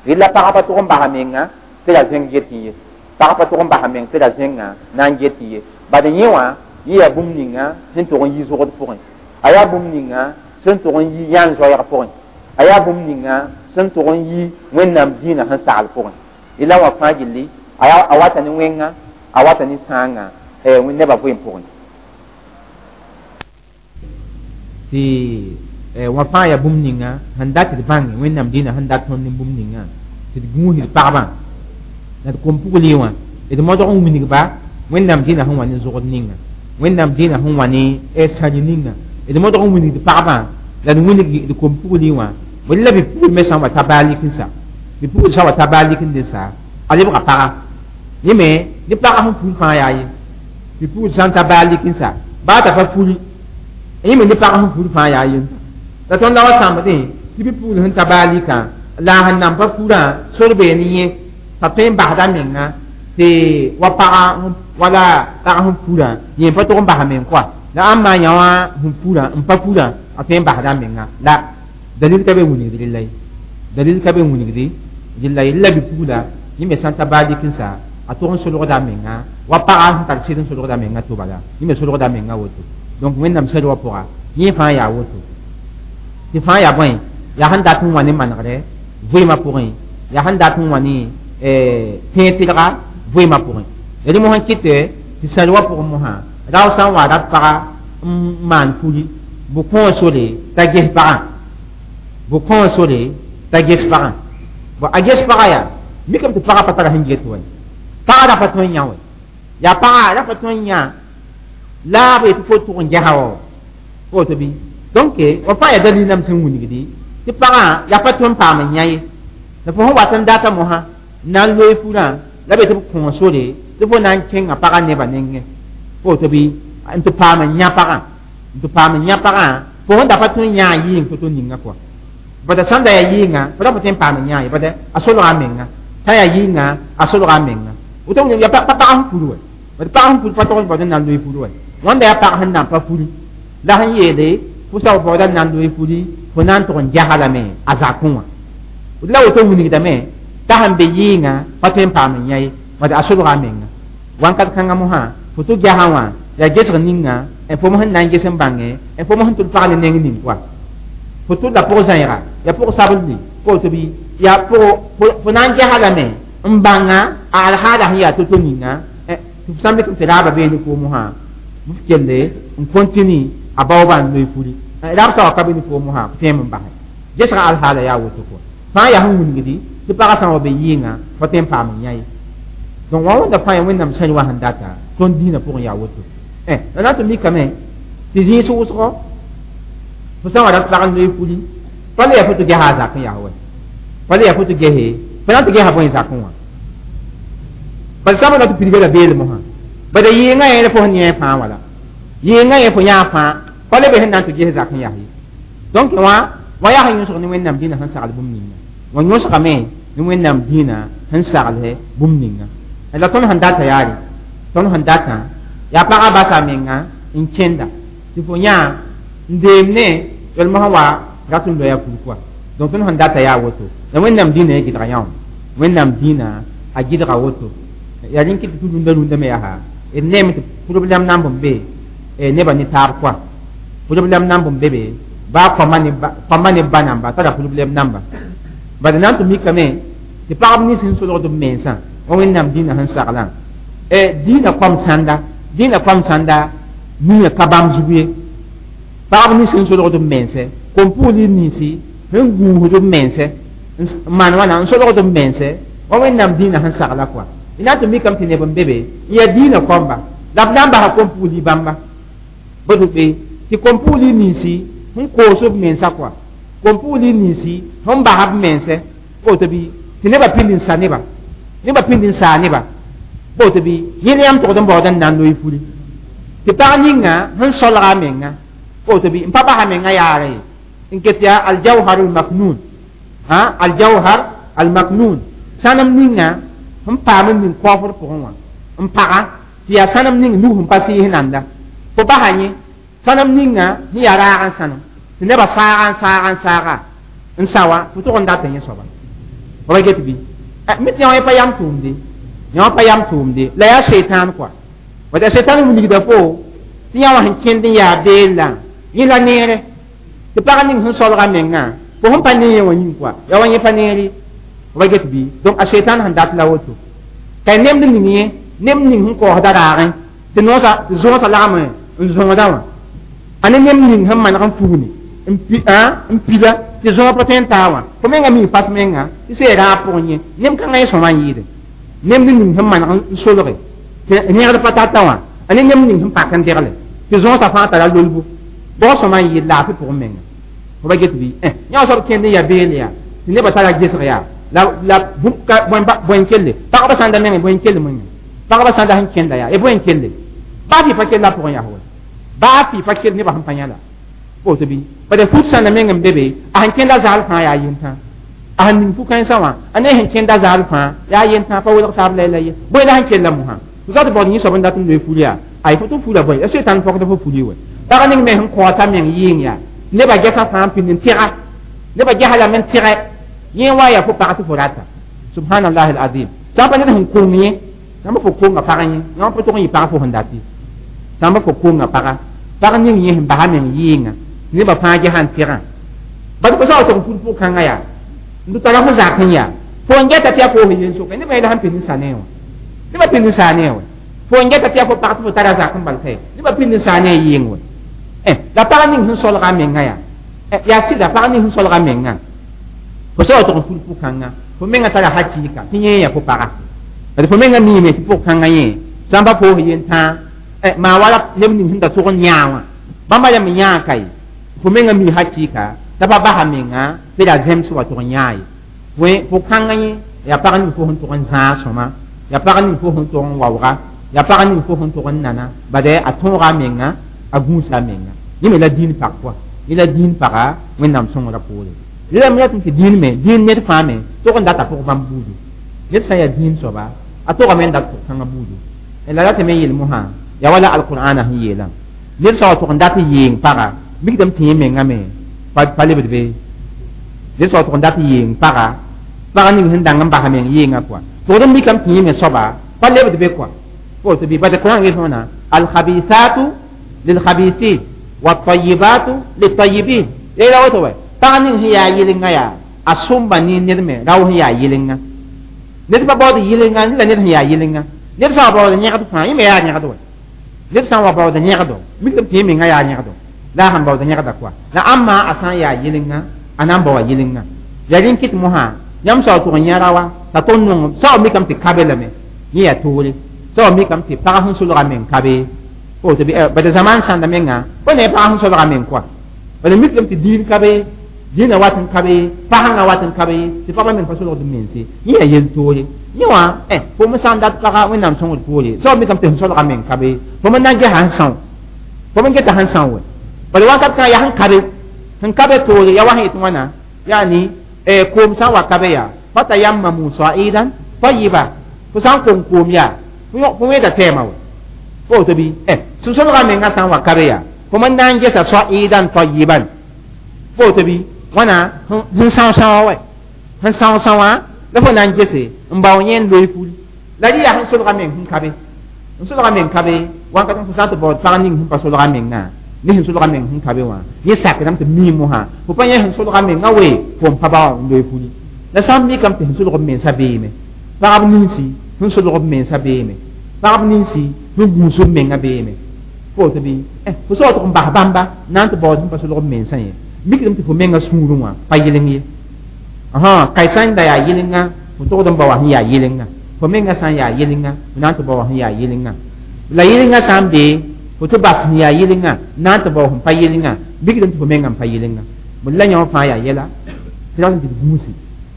Rɩla pagã pa tʋg n basa menga tɩ ra zẽng get ye. Pagã pa tʋg n basa meng tɩ ra zẽngã na n get ye. Bad yẽ wã yẽ yaa bũmb ninga sẽn tʋg n yi zogd pʋgẽ. A yaa bũmb ninga sẽn tʋg n yi yãn zoɛɛg pʋgẽ. A yaa bũmb ninga sẽn tʋg n yi Wẽnnaam dĩinã sẽn sagl pʋgẽ. La wã fãa gilli a wata ne wẽnga, a wata ne sãangã nebã vɩɩm pʋgẽ. Tɩ wã fãa yaa bũmb ninga sẽn dat tɩ d bãnge Wẽnnaam dĩinã sẽn dat tõnd ne bũmb ninga tɩ d gũus d pagba la d kom-pugli wã d modg n wilgba Wẽnnaam dĩinã sẽn wa ne zogd ninga, Wẽnnaam dĩinã sẽn wa ne sãri ninga, d modg n wilgd pagba la d wilg d kom-pugli wã. La bi-pugl me sã n wa ta baa lik n sa, bi-pugl sã n wa ta baa lik n de sa, a lebga paga. Yẽ me ne paga sẽn ful fãa yaa ye. Bi-pugl sã n ta baa lik n sa, baa t'a pa fuli, yẽ me ne paga sẽn ful fãa yaa ye. La tõnd la wa sãmbdẽ tɩ bi-pugl sẽn ta baa likã la a sẽn nan pa furã sor bee ne yẽ t'a tõe n basda menga tɩ wa paga wala pag sẽn furã yẽ pa tʋg n basa meng kɔa. La ãmb yã wã sẽn furã n pa furã a tõe n basda menga. La dalil ka be wilgd rɩlla ye. Dalil ka be wilgd rɩlla ye. La bi-pugla yẽ me sã n ta baa lik n sa a tʋg n solgda menga wa paga sẽn tar sɩd n solgda menga to bala yẽ me solgda menga woto. Donc Wẽnnaam sɛd wã pʋga yẽ fãa yaa woto. Tɩ fãa yaa bõe, yaa sẽn dat n wa ne manegrɛ vɩɩmã pʋgẽ, yaa sẽn dat n wa ne tẽeg tɩlga vɩɩmã pʋgẽ. Rẽ mosã kɩt tɩ sãr wã pʋgẽ mosã rao sã n wa rat paga n maan furi bʋ kõo sore t'a ges pagã, bʋ kõo sore t'a ges pagã. Bon, a ges pagã yaa mikame tɩ pagã pa tara sẽn get wa. Pagã ra pa tõe n yã wa. Yaa pagã ra pa tõe n yã la b yetɩ fo tʋg n gesa wa woto bɩ. Donc wa fãa yaa dalil nam sẽn wilgdi tɩ pagã yaa pa tõe n paam n yã ye. La fo sẽn wat n data mosã n na n loe furã la be tɩ b kõo sore tɩ fo na n kẽnga pagã nebã nengẽ woto bɩ n tɩ paam n yã pagã, n tɩ paam n yã pagã fo sẽn da pa tõe n yã a yɩɩng to-to ninga kɔa. Bada sãn da yaa yɩɩngã fo ra pa tõe n paam n yã ye, bada a solga a menga. Sã n yaa yɩɩngã a solga a menga. Woto yaa pa pag sẽn fur wa. Bad pag sẽn fur pa tog n baood n na n loe fur wa. Wãnda yaa pag sẽn nan pa furi la sẽn yeele fo sa baood n na n loe furi fo na n tʋg n gesa lame a zakẽ wã. La woto wilgdame t'a sẽn be yɩɩngã pa tõe n paam n yã ye, bad a solga a menga. Wãnkat kãngã mosã fo tɩ gesã wã yaa gesg ninga fo sẽn na n ges n bãnge fo sẽn tʋl pag ne neng ning kɔa. Fo tʋl la pʋg zãiga yaa pʋg sabl woto bɩ yaa fo na n gesa lame n bãnga a alhaada sẽn yaa to-to ninga tɩ f sã n mikame tɩ raaba beene koom mosã b kelle n continue a baoobã n loe furi rab sã wa ka be ne foom wã tõe n basɛ gesga alhaala yaa woto kɔa fãa yaa sẽn wilgdi tɩ pagã sã n wa be yɩɩngã fo tõe n paam n yã ye donc wã wẽnda fãa ya wẽnnaam sẽn wa sẽn data tõnd dĩinã pʋgẽ yaa woto la na n tɩ mikame tɩ zĩis wʋsgɔ fo sã n wa rat pag n loe furi pa le yaa fo tɩ gesa a zakẽ yaa wa pa le yaa fo tɩ gese fo na n tɩ gesa bõe zakẽ wã bala sã n na tɩ pidga la beelem wã bala yɩɩngã yẽl fo sẽn yẽ fãa wala yɩɩngã yẽ fo yã fãa pa le be sẽn na n tɩ ges zakẽ yaa ye donc wã wã yaa sẽn yõsg ne wẽnnaam dĩnã sẽn sagl bũmb ninga wã yõsgame ne wẽnnaam dĩnã sẽn sagl bũmb ninga la tõnd sẽn data yaare tõnd sẽn datã yaa pagã basa menga n kẽnda tɩ fo yã n deem ne yel-mosã wa rat n loya fur kɔa donc tõnd sẽn data yaa woto la wẽnnaam dĩnã ye gɩdga yã wẽnnaam dĩnã a gɩdga woto yaa rẽn kɩt tɩ rũndã rũndã me yaa d neeme tɩ problème namb n be nebã ne taab kɔa problème namb n be be baa kõma ne ba namba tara problème namba bad na n tɩ mikame tɩ pagb nins sẽn solgd b mensã wa wẽnnaam dĩnã sẽn saglã dĩinã kõm sãnda dĩinã kõm sãnda mia ka bãmb zug ye pagb nins sẽn solgd b mense kom-puugl ninsi sẽn gũusd b mense n maan wãna n solgd b mense wa wẽnnaam dĩinã sẽn sagla kɔa d na n tɩ mikame tɩ neb n be be n yaa dĩinã kõmba la b na n basa kom-puugl bãmba boto be tɩ kom-puugl ninsi sẽn koos b mensa kɔa kom-puugl ninsi sẽn basa b mense woto bɩ tɩ nebã pĩnd n sa neba nebã pĩnd n saa neba woto bɩ yẽl yãmb togd n baood n na n loe furi tɩ pag ninga sẽn solga a menga woto bɩ n pa basa menga yaara ye n ket yaa aljawhar almaknun aljawhar almaknun sãnem ninga sẽn paam n ning kaoofr pʋgẽ wã n paga tɩ yaa sãnem ning nug sẽn pa sɩɩs nanda fo basa yẽ sãnem ninga sẽn yaa raag n sãnem tɩ nebã saaga n saaga n saaga n sa wã fo tʋg n dat yẽ soaba fa get bɩ mi tɩ yã pa yam tʋʋmde yã pa yam tʋʋmde la yaa seitan kɔa wata seitan wilgda fo tɩ yã wã sẽn kẽnd n yaa beellã yẽ la neere tɩ pag ning sẽn solga mengã fo sẽn pa ne yẽ wã yĩng kɔa ya wa yẽ pa neere fa get bɩ donc a seitan sẽn dat la woto ka nemd ning yẽ nemd ning sẽn kaoosda raagẽ tɩ noosã tɩ zõosã lagm n zõoda wã a ne nemd ning sẽn maneg n fugni n pila tɩ zõog pa tõe n taa wã fo menga mi pas menga tɩ sẽn raag pʋgẽ yẽ nem kãngã yẽ sõma n yɩɩde nemd ning sẽn maneg n solge tɩ rẽgd pa tata wã a ne nemd ning sẽn pak n degle tɩ zõosã fãa tara lolbo bʋg sõma n yɩɩd laafɩ pʋgẽ menga fo ba get bɩ yã wa soab kẽnd n yaa beel yaa tɩ nebã tara gesg yaa la la bõe n kelle pagba sãn da meng bõe n kell menga pagba sãn da sẽn kẽnda yaa bõe n kelle baa fɩ pa kella pʋgẽ yaa wa baa fɩ pa kell nebã sẽn pa yã la woto bɩ bala fut sãnda meng n be be a sẽn kẽnda zaal fãa yaa yentã a sẽn ning fu-kãensã wã a ne sẽn kẽnda zaal fãa yaa yentã pa welg taab la la ye bõe la sẽn kella mosã fo sa tɩ baood yẽ soab n dat n loe furi yaa ay fo tɩ fura bõe ya seitan pɔgd fo furi wɛ pag ning me sẽn kaoosa meng yɩɩng yaa nebã gɛsã fãa n pĩnd n tẽga nebã gɛsa lame n tẽgɛ yẽ wa yaa fo pag tɩ fo rata subhanallah alazim sã n pa ned sẽn kong yẽ sãn pa fo konga pag yẽ yã pa tʋg n yɩ pag fo sẽn dati sãn pa fo konga paga pag ning yẽ sẽn basa meng yɩɩngã nebã fãa gɛsã n tẽgã bad fo sã wa tʋg n fur pʋg-kãngã yaa n tɩ tara fo zak n yaa fo n gɛta tɩ yaa koos yen soka nebã yẽla sẽn pĩnd n sa ne wã nebã pĩnd n saa ne wã fo n gɛta tɩ yaa fo pag tɩ fo tara zak n bal kae nebã pĩnd n saa ne a yɩɩng wã la pag ning sẽn solga a menga yaa yaa sɩda pag ning sẽn solga menga fo sã wa tʋg n fur pʋg-kãngã fo menga tara hakɩɩka tɩ yẽ yaa fo paga d fo menga miime tɩ pʋg-kãngã yẽ sã n pa poos yen tãa maa wala neb ning sẽn da tʋg n yãa wã bãmba yam n yãa ka ye fo menga mi hakɩɩka t'a pa basa menga tɩ ra zẽms wa tʋg n yãa ye pʋg-kãngã yẽ yaa pag ning fo sẽn tʋg n zãag sõma yaa pag ning fo sẽn tʋg n waooga yaa pag ning fo sẽn tʋg n nana bad a tõoga a menga a gũusa a menga yẽ me la dĩin pag pʋa yẽ la dĩin paga wẽnnaam sõngrã poore rẽlame yaa tɩ dĩin me dĩin ned fãa me tʋg n data pʋg bãmb buudu ned sã n yaa dĩin soaba a tʋgame n dat pʋg-kãngã buudu la ratame n yeel mosã yaa wala alqur'ana sẽn yeelã ned sã wa tʋg n dat n yeeng paga mikdame tɩ yẽ menga me pa lebd be ned sã wa tʋg n dat n yeeng paga pag ning sẽn dãng n basa meng yɩɩngã kɔa tʋgd n mikame tɩ yẽ me soaba pa lebd be kɔa woto bɩ bad Qur'an yel wãna alkhabisatu lilkhabisin والطيبات للطيبين yeela woto wɛ pag ning sẽn yaa yɩlenga yaa a sõmba ne ned me rao sẽn yaa yɩlenga ned pa baood yɩlenga la ned sẽn yaa yɩlenga ned sã n wa baood yẽgd fãa yẽ me yaa yẽgd wɛ ned sã n wa baood yẽgdo mikdame tɩ yẽ menga yaa yẽgdo La sẽn baood yẽgda koa la ãmba a sã n yaa yɩlenga a na n baoa yɩlenga ya rẽn kɩt mosã yãmb sao tʋg n yã raoa t'a tõnd nong sao mikame tɩ kabe lame yẽ yaa toore sao mikame tɩ pag sẽn solga meng kabe woto bɩ bad zaman sãnda menga fo ne pag sẽn solga meng koa bala mikame tɩ diin kabe dĩinã wat n kabe pasãngã wat n kabe tɩ pagba meng pa solgd mense yẽ yaa yel toore yẽ wã fo me sã n dat paga wẽnnaam sõngd poore sao mikame tɩ sẽn solga meng kabe fo me na n gesa sẽn são fo me geta sẽn são we bala wakat kã yaa sẽn kabe sẽn kabe toore yaa wa sẽn yet wãna yaani koom sã n wa kabe yaa fatayammamu sa'idan tayyiba fo sã n kong koom yaa fo wẽeda tɛɛmã we fo woto bɩ sẽn solga menga sã n wa kabe yaa fo me na n gesa sa'idan tayyiban fo woto bɩ wãna sẽn são sãoã wɛ sẽn são sãoã la fo na n gese n bao yẽ n loe fuli la rɩ yaa sẽn solga meng sẽn kabe n solga meng kabe wãnkat fo sã n tɩ baood pag ning sẽn pa solga mengã ne sẽn solga meng sẽn kabe wã yẽ sakdame tɩ mii mosã fo pa yẽ sẽn solga mengã we fo n pa bao n loe fuli la sã n mikame tɩ sẽn solg b mensã beeme pagb ninsi sẽn solg b mensã beeme pagb ninsi sẽn gũus b mengã beeme fo woto bɩ fo sa wa tʋg n bas bãmba na n tɩ baood sẽn pa solg b mensã ye mikdame tɩ fo menga sũurẽ wã pa yɩleng ye kai sã n da yaa yɩlenga fo togd n ba wa sẽn yaa yɩlenga fo menga sã n yaa yɩlenga fo na n tɩ bao sẽn yaa yɩlenga la yɩlenga sã n bee fo tɩ bas sẽn yaa yɩlenga na n tɩ bao sẽn pa yɩlenga mikdame tɩ fo menga n pa yɩlenga bõe la yõ fãa yaa yɛla tɩ rat n tɩ d gũusi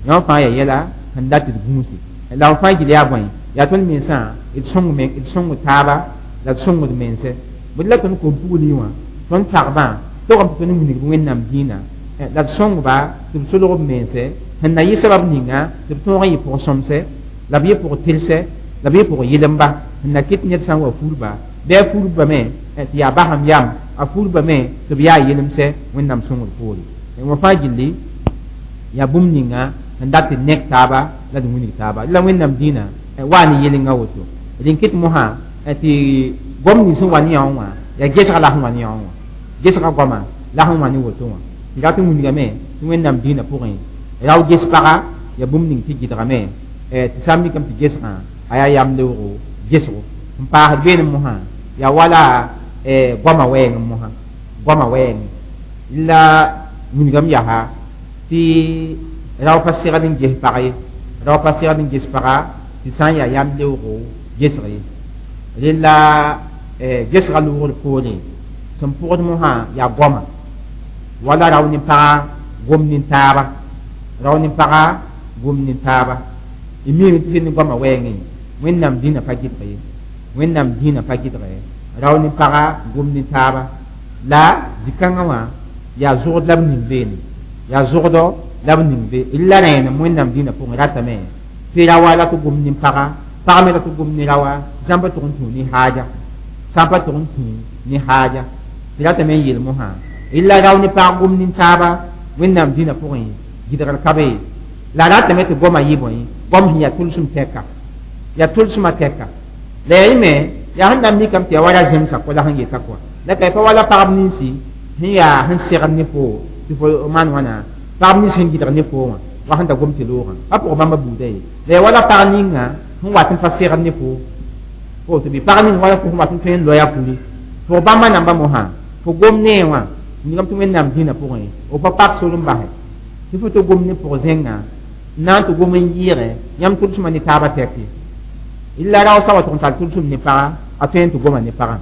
yõ fãa yaa yɛla sẽn dat tɩ d gũusi la f fãa gil yaa bõe yaa tõnd mensã d sõng d sõng taaba la d sõngd mense bõe la tõnd kom pugli wã tõnd pagbã togame tɩ tõnd n wilg wẽnnaam dĩinã la d sõngba tɩ b solg b mense sẽn na yɩ sabab ninga tɩ b tõog n yɩ pʋg sõmse la b yɩ pʋg tɩlsɛ la b yɩ pʋg yɩlemba sẽn na kɩt ned sã n wa fulba bɩ a fulbame tɩ yaa basam yam a fulbame tɩ b yaa yɩlemsɛ wẽnnaam sõngd poore wã fãa gilli yaa bũmb ninga sẽn dat tɩ nek taaba la d wilg taaba la wẽnnaam dĩinã waa ne yɩlenga woto rẽn kɩt mosã tɩ gom nins sẽn wa ne yã wã yaa gesga la sẽn wa ne yã wã gesga goama la sẽn wa ne woto wã tɩ rat n wilgame tɩ wẽnnaam dĩinã pʋgẽ rao ges paga yaa bũmb ning tɩ gɩdgame tɩ sã n mikame tɩ gesgã a yaa yam leoogo gesgo n paasd beene mosã yaa wala goama wɛɛng mosã goama wɛɛng la wilgame yaa tɩ rao pa segd n ges pag ye rao pa segd n ges paga tɩ sã n yaa yam leoogo gesg ye rela gesga loogr poore sẽn pʋgd mosã yaa goama wala rao ne paga gom nin-taaba rao ne paga gom nin-taaba y miime tɩ sẽn ne goamã wɛɛngẽ wẽnnaam dĩnã pa gɩdg ye wẽnnaam dĩnã pa gɩdg ye rao ne paga gom nin-taaba la zĩ-kãngã wã yaa zʋgd la b ning beene yaa zʋgdɔ la b ning be la rẽenem wẽnnaam dĩnã pʋgẽ ratame tɩ raoa la tɩ gom nin-paga pag me la tɩ gom ne raoa zãmba tʋg n tũ ne haaja sã n pa tʋg n tũ ne haaja tɩ ratame n yeel mosã la rao ne pag gom nin-taaba wẽnnaam dĩnã pʋgẽ gɩdgr ka be la ratame tɩ goamã yɩ bõe goam sẽn yaa tʋlsem tɛka yaa tʋlsmã tɛka la yaa yẽme yaa sẽn na n mikame tɩ yaa wa ra zẽmsa kɔ la sẽn yeta kɔa la ka pa wala pagb ninsi sẽn yaa sẽn segd ne fo tɩ fo maan wãna pagb nins sẽn gɩdg ne fo wã wa sẽn da gom tɩ loogã pa pʋg bãmba buuda ye la yaa wala pag ninga sẽn wat n pa segd ne fo fo tɩ bɩ pag ning wala fo sẽn wat n tõe n loya fuli fo bãmba namba mosã fo gom nee wã nigame tɩ wẽnnaam dĩnã pʋgẽ f pa pak sor n basɛ tɩ fo tɩ gom ne pʋg zẽnga n na n tɩ gom n yɩɩgɛ yãmb tʋlsmã ne taabã tɛk ye la rao sã wa tʋg n tar tʋlsem ne paga a tõe n tɩ goma ne pagã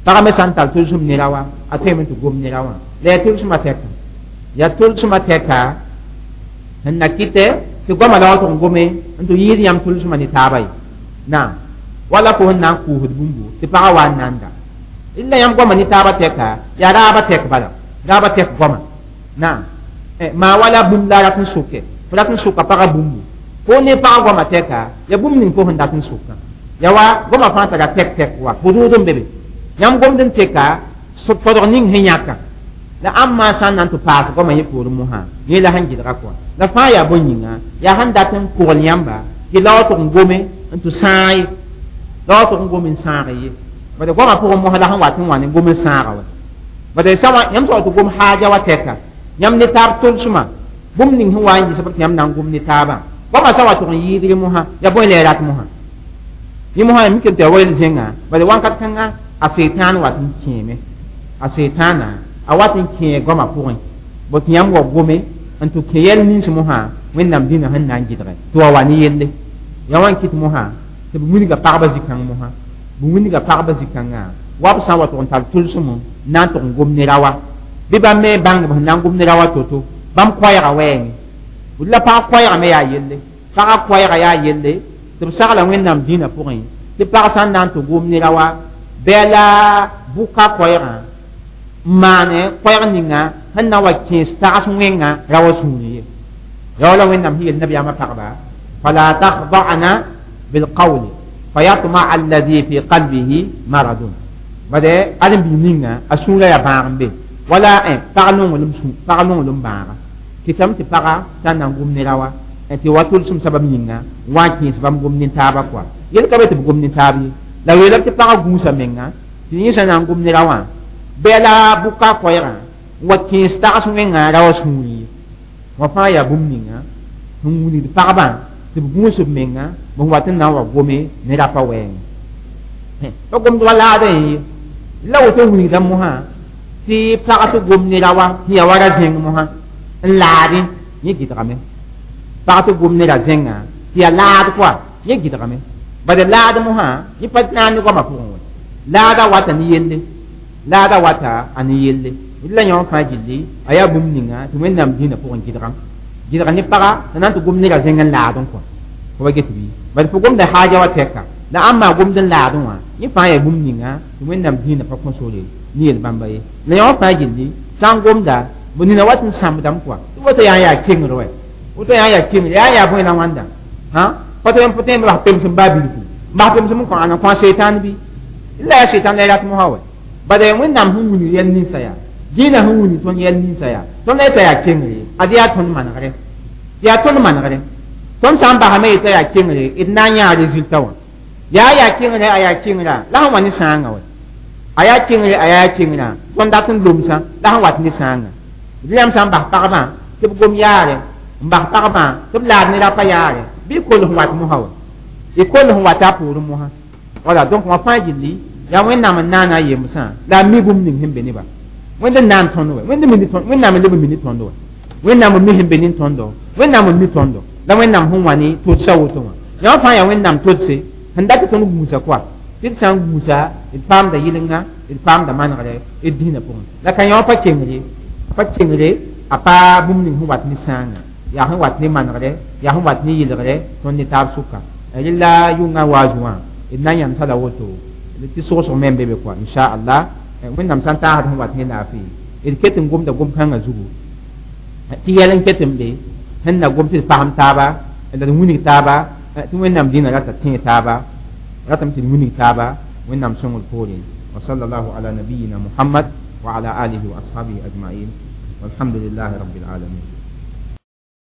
pagã me sã n tar tʋlsem ne raoa a tõeme tɩ gom ne raowã la yaa tʋlsmã tɛka yaa tʋlsmã tɛka sẽn na kɩtɛ tɩ goamã la wa tʋg n gome n tɩ yɩɩd yãmb tʋlsmã ne taaba ye naam wala fo sẽn na n kʋʋsd bũmbu tɩ pagã wa n nanda la yãmb goamã ne taabã tɛka yaa raabã tɛk bala raabã tɛk goamã naam maa wala bũmb la rat n sʋke fo rat n sʋka pagã bũmbu fo ne pagã goamã tɛka yaa bũmb ning fo sẽn dat n sʋkã ya wa goamã fãa tara tɛk tɛk wa pʋdʋʋd n be be yãmb gomd n teka fodg ning sẽn yãka la ãmb sã n na n tɩ paas goamã yẽ poorẽ mosã yẽ la sẽn gɩdga kɔa la fãa yaa bõe yĩnga yaa sẽn dat n kogl yãmba tɩ la wa tʋg n gome n tɩ sãag ye la wa tʋg n gom n sãag ye bad goamã pʋgẽ mosã la sẽn wat n wa ne gom n sãaga wa bad sã wã yãmb sã wa tɩ gom haaja wa tɛka yãmb ne taab tʋlsmã bũmb ning sẽn wa n yɩ tɩ yãmb na n gom ne taabã goamã sã wa tʋg n yɩɩdg mosã yaa bõe la y rat mosã yẽ mosã yaa mikame tɩ ya wa yel zẽnga bad wãnkat kãnga a seetãan wat n kẽeme a seetãana A wat n kẽe goamã pʋgẽ bõ tɩ yãmb wa gome n tɩ kẽ yɛl nins mosã wẽnnaam dĩnã sẽn na n gɩdge tɩ wa wa ne yelle ya wa n kɩt mosã tɩ b wilga pagba zĩ-kãng mosã b wilga pagba zĩ-kãngã wa b sã n wa tʋg n tar tʋlsem n na n tʋg n gom ne raoã bɩ bãmb me bãng b sẽn na n gom ne raoã to-to bãmb koɛɛga wɛɛngẽ la pag koɛɛga me yaa yelle pagã koɛɛga yaa yelle tɩ b sagla wẽnnaam dĩnã pʋgẽ tɩ pag sã n na n tɩ gom ne raoã bɩ la bʋka koɛɛgã n maane koɛɛg ninga sẽn na wa kẽes tags wẽnga raoã sũurẽ ye ya wala wẽnnaam sẽn yel nabiyaamã pagba فلا تخضعن بالقول فيطمع الذي في قلبه مرض bade ãdem-biig ninga a sũurã yaa bãag n be wala pag nonglem sũ pag nonglem bãaga kɩtame tɩ paga sã n na n gom ne raoã tɩ wa tʋlsem sabab yĩnga n wa n kẽes bãmb gom nin-taabã kɔa yel ka be tɩ b gom nin-taab ye la weelame tɩ pagã gũusa menga tɩ yẽ sã na n gom ne raoã bɩ la bʋka koɛɛgã n wa kẽes tags wẽnga raoã sũurẽ ye wã fãa yaa bũmb ninga sẽn wilgd pagbã tɩ b gũus b menga b wat n na n wa gome ne rapa wɛɛngẽ pa gomd wa laadã ye la woto wilgda mosã tɩ pag tɩ gom ne raoã sẽn yaa wa ra zẽng mosã n laadẽ yẽ gɩdgame pag tɩ gom ne ra zẽngã tɩ yaa laad kɔa yẽ gɩdgame bad laad mosã yẽ pa na n ne goamã pʋgẽ wɛ laada wata ne yelle laada wata a ne yelle la yõ fãa gilli a yaa bũmb ninga tɩ wẽnnaam dĩinã pʋgẽ gɩdgam gɩdg ne paga tɩ na n tɩ gom ne ra zẽng n laadẽ kɔa fo wa get bɩ bad fo gomda haaja wa tɛka la ãmb maa gomd n laadẽ wã yẽ fãa yaa bũmb ninga tɩ wẽnnaam dĩinã pa kõ sore ne yel bãmba ye la yõ fãa gilli sã n gomda b nina wat n sãmbdame kɔa tɩ woto yaa n yaa kengr wɛ woto yaa n yaa kengr yaa n yaa bõe la wãnda hã pa tõe n tõe n bas pemsem baa bilfu n bas pemsem n kõ ãna kõ seitan bɩ la yaa seitan la rat mosã wɛ bad wẽnnaam sẽn wilg yɛl ninsã yaa dĩinã sẽn wilg tõnd yɛl ninsã yaa tõnd la yeta yaa kengre ad yaa tõnd manegre yaa tõnd manegre tõnd sã n basame yeta yaa kengre d na n yãa résultat wã yaa yaa kengre a yaa kengra la sẽn wa ne sãangã wɛ a yaa kengre a yaa kengrã tõnd dat n lomsã la sẽn wat ne sãangã d yãmb sã n bas pagbã tɩ b gom yaare n bas pagbã tɩ b laad ne rapa yaare bɩ y koll sẽn wat mosã wɛ y koll sẽn wata a poorẽ mosã wala donc wã fãa gilli yaa wẽnnaam n naana a yemsã la a mi bũmb ning sẽn be nebã wẽnd n naan tõnd wɛ wẽnd mini wẽnnaam n leb n mini tõnd wɛ wẽnnaam n mi sẽn be nin tõndo wẽnnaam n mi tõndo la wẽnnaam sẽn wa ne todsa woto wã yã fãa yaa wẽnnaam todse sẽn dat tɩ tõnd gũusa kɔa tɩ d sã n gũusa d paamda yɩlenga d paamda manegre d dĩinã pʋgẽ la ka yõ pa kengre pa kengre a pa bũmb ning sẽn wat ne sãanga yaa sẽn wat ne manegre yaa sẽn wat ne yɩlgre tõnd ne taab sʋka rela yʋngã waazũ wã d na n yãmsa la woto tɩ sogsg me n be be kɔa inchallah wẽnnaam sã n taasd sẽn wat ne laafɩ d ket n gomda gom-kãngã zugu tɩ yɛl n ket n be sẽn na gom tɩ d fasem taaba la d wilg taaba tɩ wẽnnaam dĩnã rata tẽe taaba ratame tɩ d wilg taaba wẽnnaam sõngr poore وصلى الله على نبينا محمد وعلى آله وأصحابه أجمعين والحمد لله رب العالمين.